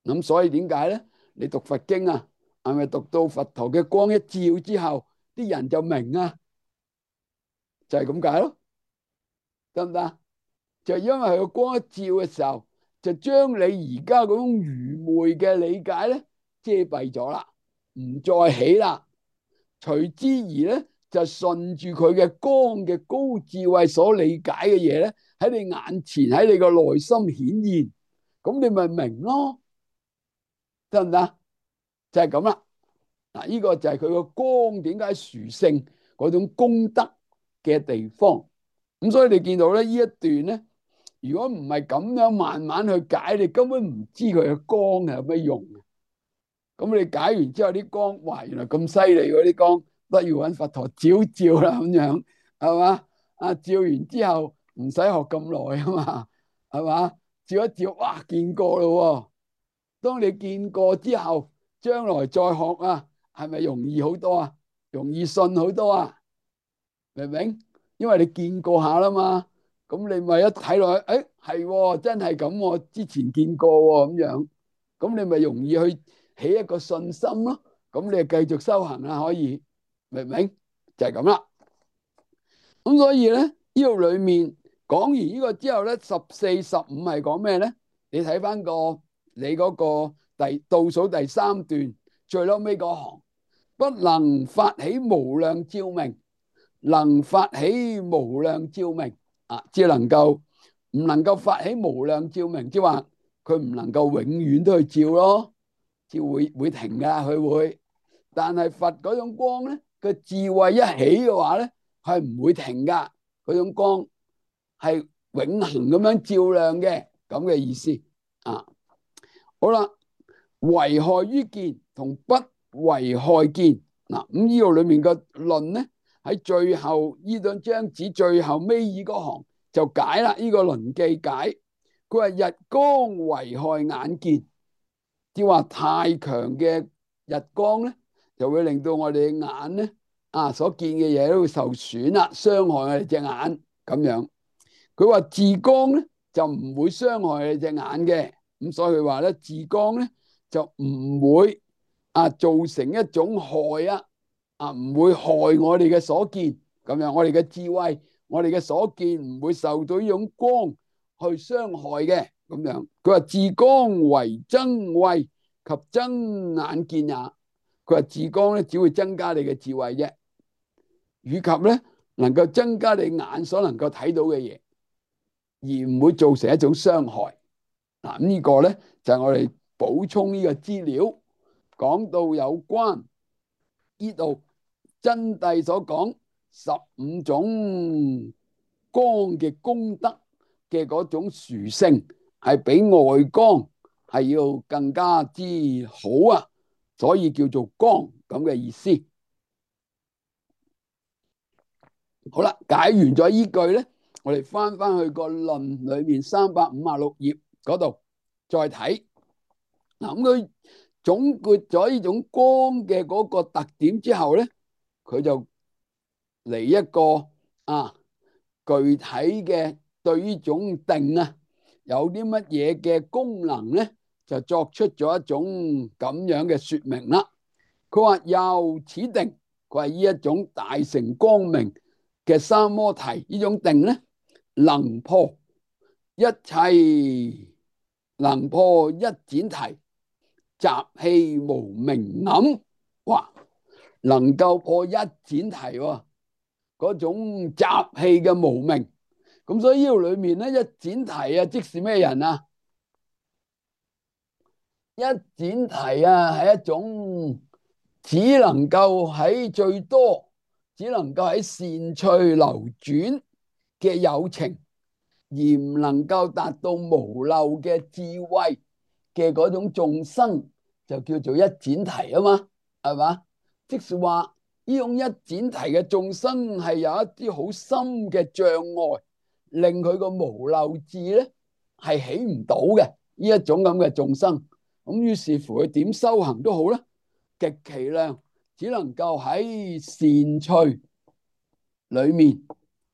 咁所以點解咧？你讀佛經啊，係咪讀到佛陀嘅光一照之後，啲人就明啊？就係咁解咯，得唔得？就因為佢個光一照嘅時候，就將你而家嗰種愚昧嘅理解咧遮蔽咗啦，唔再起啦。隨之而咧，就順住佢嘅光嘅高智慧所理解嘅嘢咧，喺你眼前，喺你個內心顯現，咁你咪明咯，得唔得？就係咁啦。嗱，呢個就係佢個光點解殊勝嗰種功德嘅地方。咁所以你見到咧呢一段咧，如果唔係咁樣慢慢去解，你根本唔知佢嘅光係有咩用。咁你解完之後啲光，哇，原來咁犀利嗰啲光，都要揾佛陀照照啦，咁樣係嘛？啊，照完之後唔使學咁耐啊嘛，係嘛？照一照，哇，見過咯。當你見過之後，將來再學啊，係咪容易好多啊？容易信好多啊？明唔明？因為你見過下啦嘛，咁你咪一睇落去，誒，係真係咁，我之前見過咁樣，咁你咪容易去起一個信心咯。咁你就繼續修行啦，可以，明唔明？就係咁啦。咁所以咧，呢度裏面講完呢個之後咧，十四、十五係講咩咧？你睇翻個你嗰個第倒數第三段最嬲尾嗰行，不能發起無量照明。能發起無量照明啊，只能夠唔能夠發起無量照明，即係話佢唔能夠永遠都去照咯，照會會停噶，佢會。但係佛嗰種光咧，個智慧一起嘅話咧，係唔會停噶，嗰種光係永恆咁樣照亮嘅，咁嘅意思啊。好啦，危害於見同不危害見嗱，咁呢度裏面嘅論咧。喺最後呢兩張紙最後尾二嗰行就解啦，呢個論記解。佢話日光危害眼見，即係話太強嘅日光咧，就會令到我哋嘅眼咧啊所見嘅嘢都會受損啦，傷害我哋隻眼咁樣。佢話自光咧就唔會傷害你隻眼嘅。咁所以佢話咧，自光咧就唔會啊造成一種害啊，啊唔會害我哋嘅所見咁樣，我哋嘅智慧，我哋嘅所見唔會受到呢種光去傷害嘅咁樣。佢話自光為增慧及增眼見也。佢話自光咧只會增加你嘅智慧啫，以及咧能夠增加你眼所能夠睇到嘅嘢，而唔會造成一種傷害。嗱，咁呢個咧就係我哋補充呢個資料，講到有關呢度真諦所講十五種光嘅功德嘅嗰種殊勝，係比外光係要更加之好啊，所以叫做光咁嘅意思。好啦，解完咗依句咧，我哋翻翻去個論裏面三百五十六頁嗰度再睇。嗱，咁佢總括咗呢種光嘅嗰個特點之後咧，佢就嚟一個啊具體嘅對呢種定啊有啲乜嘢嘅功能咧，就作出咗一種咁樣嘅說明啦。佢話由此定，佢係呢一種大乘光明嘅三摩提呢種定咧，能破一切，能破一闡提，習氣無明暗。哇，能夠破一闡提喎，嗰種習氣嘅無明。咁所以呢度裏面咧，一闡提啊，即是咩人啊？一闡提啊，係一種只能夠喺最多，只能夠喺善趣流轉嘅有情，而唔能夠達到無漏嘅智慧嘅嗰種眾生，就叫做一闡提啊嘛，係嘛？即是話呢種一闡提嘅眾生係有一啲好深嘅障礙，令佢個無漏智咧係起唔到嘅呢一種咁嘅眾生。咁於是乎佢點修行都好啦，極其量只能夠喺善趣裏面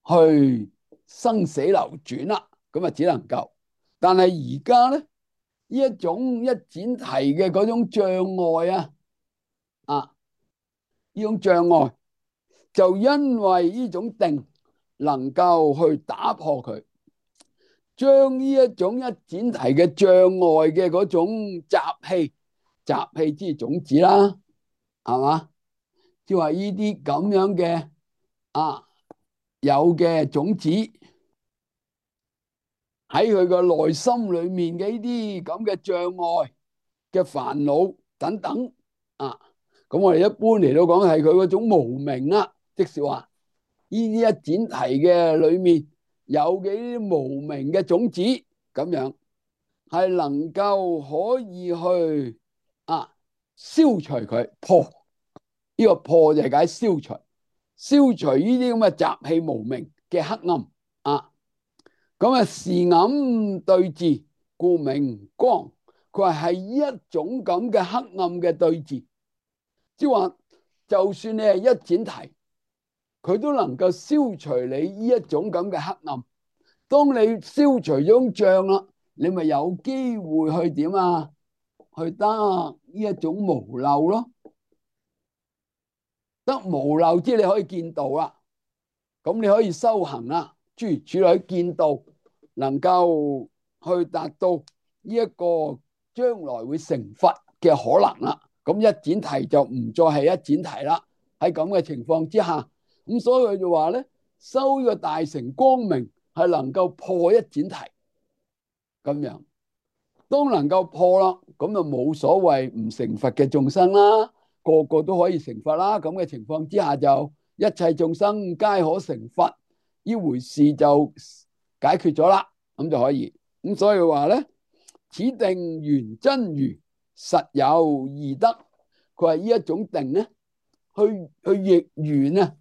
去生死流轉啦，咁啊只能夠。但係而家咧，呢一種一闡提嘅嗰種障礙啊，啊呢種障礙就因為呢種定能夠去打破佢，將呢一種一闡提嘅障礙嘅嗰種習氣，習氣即係種子啦，係嘛？即係話呢啲咁樣嘅啊有嘅種子喺佢個內心裏面嘅呢啲咁嘅障礙嘅煩惱等等啊，咁我哋一般嚟到講係佢嗰種無明啦，即是話呢啲一闡提嘅裏面有嘅呢啲無明嘅種子咁樣，係能夠可以去啊消除佢，破呢個破就係解消除，消除呢啲咁嘅習氣無明嘅黑暗啊。咁啊，是暗對治，故名光。佢話係一種咁嘅黑暗嘅對治，即係話就算你係一闡提，佢都能夠消除你呢一種咁嘅黑暗。當你消除咗障啦，你咪有機會去點啊？去得呢一種無漏咯，得無漏即係你可以見道啦。咁你可以修行啦，諸如此類見道，能夠去達到呢一個將來會成佛嘅可能啦。咁一闡提就唔再係一闡提啦。喺咁嘅情況之下，咁所以佢就話咧，修呢個大乘光明係能夠破一闡提咁樣。當能夠破啦，咁就冇所謂唔成佛嘅眾生啦，個個都可以成佛啦。咁嘅情況之下，就一切眾生皆可成佛，呢回事就解決咗啦，咁就可以。咁所以話咧，此定圓真如，實有二得。佢話呢一種定咧，去去譯圓啊，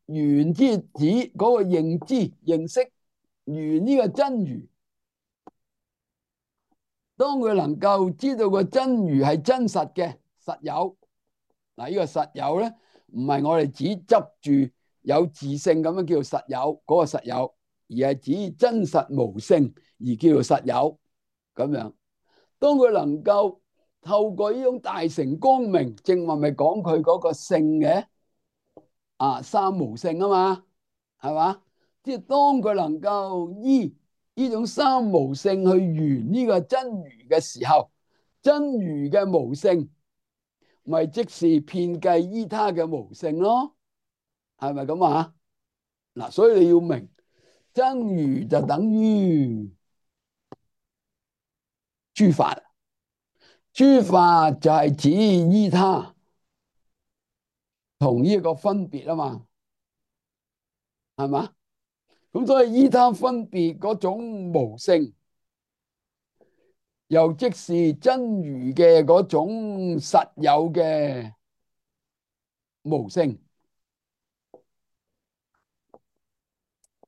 圓之指嗰個認知認識，圓呢個真如。當佢能夠知道個真如係真實嘅實有，嗱，呢個實有咧，唔係我哋只執住有自性咁樣叫做實有嗰個實有，而係指真實無性而叫做實有咁樣。當佢能夠透過呢種大乘光明，正話咪講佢嗰個性嘅啊，三無性啊嘛，係嘛？即係當佢能夠依呢種三無性去圓呢個真如嘅時候，真如嘅無性咪即是遍計依他嘅無性咯，係咪咁啊？嗱，所以你要明真如就等於諸法，諸法就係指依他同呢個分別啊嘛，係嘛？咁所以依他分別嗰種無性，又即是真如嘅嗰種實有嘅無性，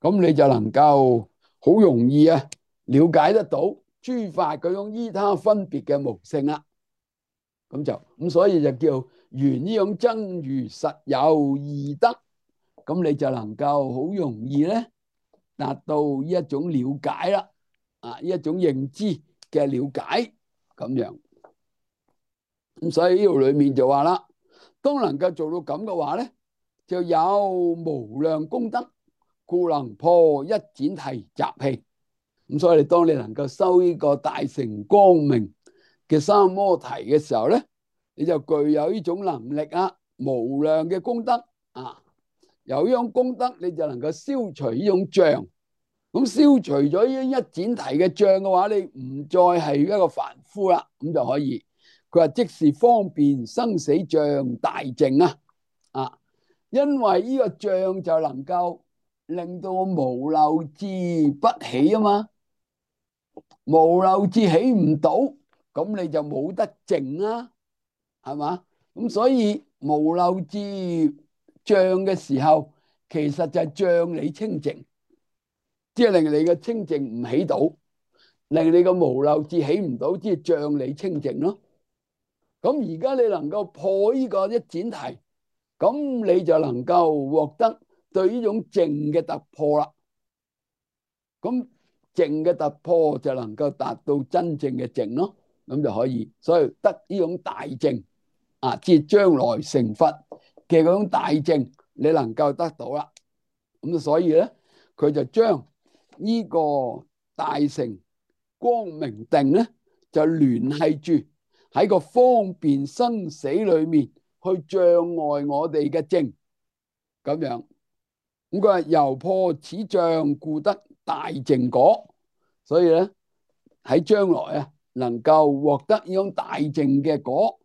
咁你就能夠好容易啊了解得到諸法嗰種依他分別嘅無性啦。咁就咁，所以就叫圓呢種真如實有二德，咁你就能夠好容易咧達到呢一種了解啦，啊呢一種認知嘅了解咁樣。咁所以呢度裏面就話啦，當能夠做到咁嘅話咧，就有無量功德，故能破一闡提習氣。咁所以當你能夠修呢個大乘光明嘅三摩提嘅時候咧，你就具有呢種能力啊，無量嘅功德啊，有呢種功德，你就能夠消除呢種障。咁消除咗呢一闡提嘅障嘅話，你唔再係一個凡夫啦，咁就可以。佢話即是方便生死障大淨啊！啊，因為呢個障就能夠令到我無漏智不起啊嘛，無漏智起唔到，咁你就冇得淨啦，係嘛？咁所以無漏智障嘅時候，其實就係障你清淨，即係令你嘅清淨唔起到，令你嘅無漏智起唔到，即係障你清淨咯。咁而家你能夠破呢個一闡提，咁你就能夠獲得對呢種淨嘅突破啦。咁淨嘅突破就能夠達到真正嘅淨咯，咁就可以。所以得呢種大淨啊，即係將來成佛嘅嗰種大淨，你能夠得到啦。咁所以咧，佢就將呢個大乘光明定咧，就聯繫住喺個方便生死裏面去障礙我哋嘅淨，咁樣。咁佢話由破此障，故得大淨果。所以咧喺將來啊，能夠獲得呢種大淨嘅果。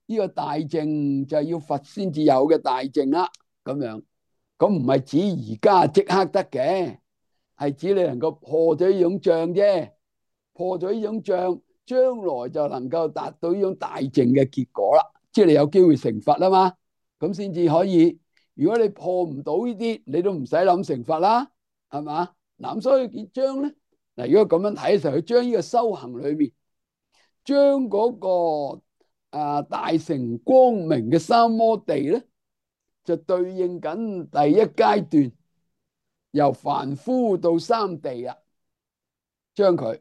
呢個大淨就係要佛先至有嘅大淨啦。咁樣，咁唔係指而家即刻得嘅，係指你能夠破咗呢種障啫。破咗呢種障，將來就能夠達到呢種大淨嘅結果啦。即係你有機會成佛啊嘛，咁先至可以。如果你破唔到呢啲，你都唔使諗成佛啦，係嘛？嗱，咁所以佢將咧，嗱，如果咁樣睇嘅時候，佢將呢個修行裏面，將嗰個啊大乘光明嘅三摩地咧，就對應緊第一階段由凡夫到三地啊，將佢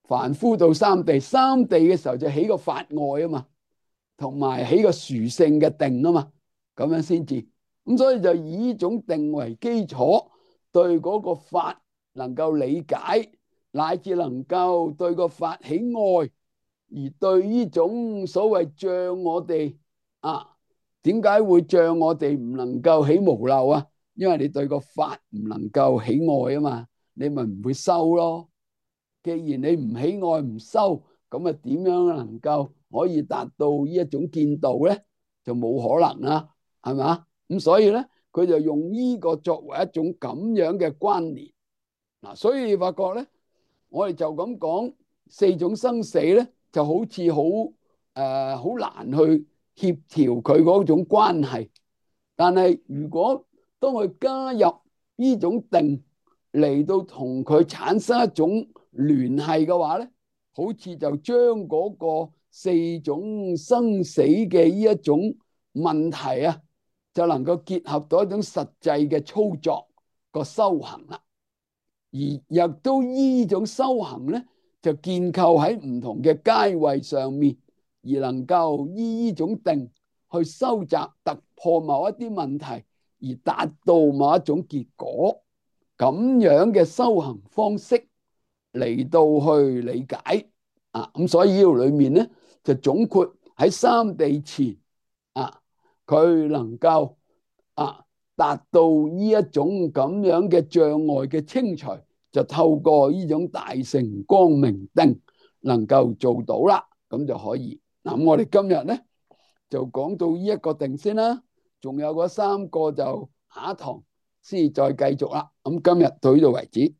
凡夫到三地，三地嘅時候就起個法外啊嘛，同埋起個殊勝嘅定啊嘛，咁樣先至。咁所以就以呢種定為基礎，對嗰個法能夠理解，乃至能夠對個法起愛，而對呢種所謂障我哋啊，點解會障我哋唔能夠起無漏啊？因為你對個法唔能夠起愛啊嘛，你咪唔會修咯。既然你唔起愛唔修，咁啊點樣能夠可以達到呢一種見道咧？就冇可能啦，係嘛？咁所以咧，佢就用呢個作為一種咁樣嘅關聯嗱，所以你發覺咧，我哋就咁講四種生死咧，就好似好誒好難去協調佢嗰種關係。但係如果當佢加入呢種定嚟到同佢產生一種聯繫嘅話咧，好似就將嗰個四種生死嘅呢一種問題啊，就能夠結合到一種實際嘅操作個修行啦。而亦都依呢種修行咧，就建構喺唔同嘅階位上面，而能夠依呢種定去收集突破某一啲問題，而達到某一種結果。咁樣嘅修行方式嚟到去理解啊，咁所以呢度裏面咧就總括喺三地前啊，佢能夠啊達到呢一種咁樣嘅障礙嘅清除，就透過呢種大乘光明定能夠做到啦，咁就可以。嗱，咁我哋今日咧就講到呢一個定先啦，仲有嗰三個就下一堂先再繼續啦。咁今日到呢度為止。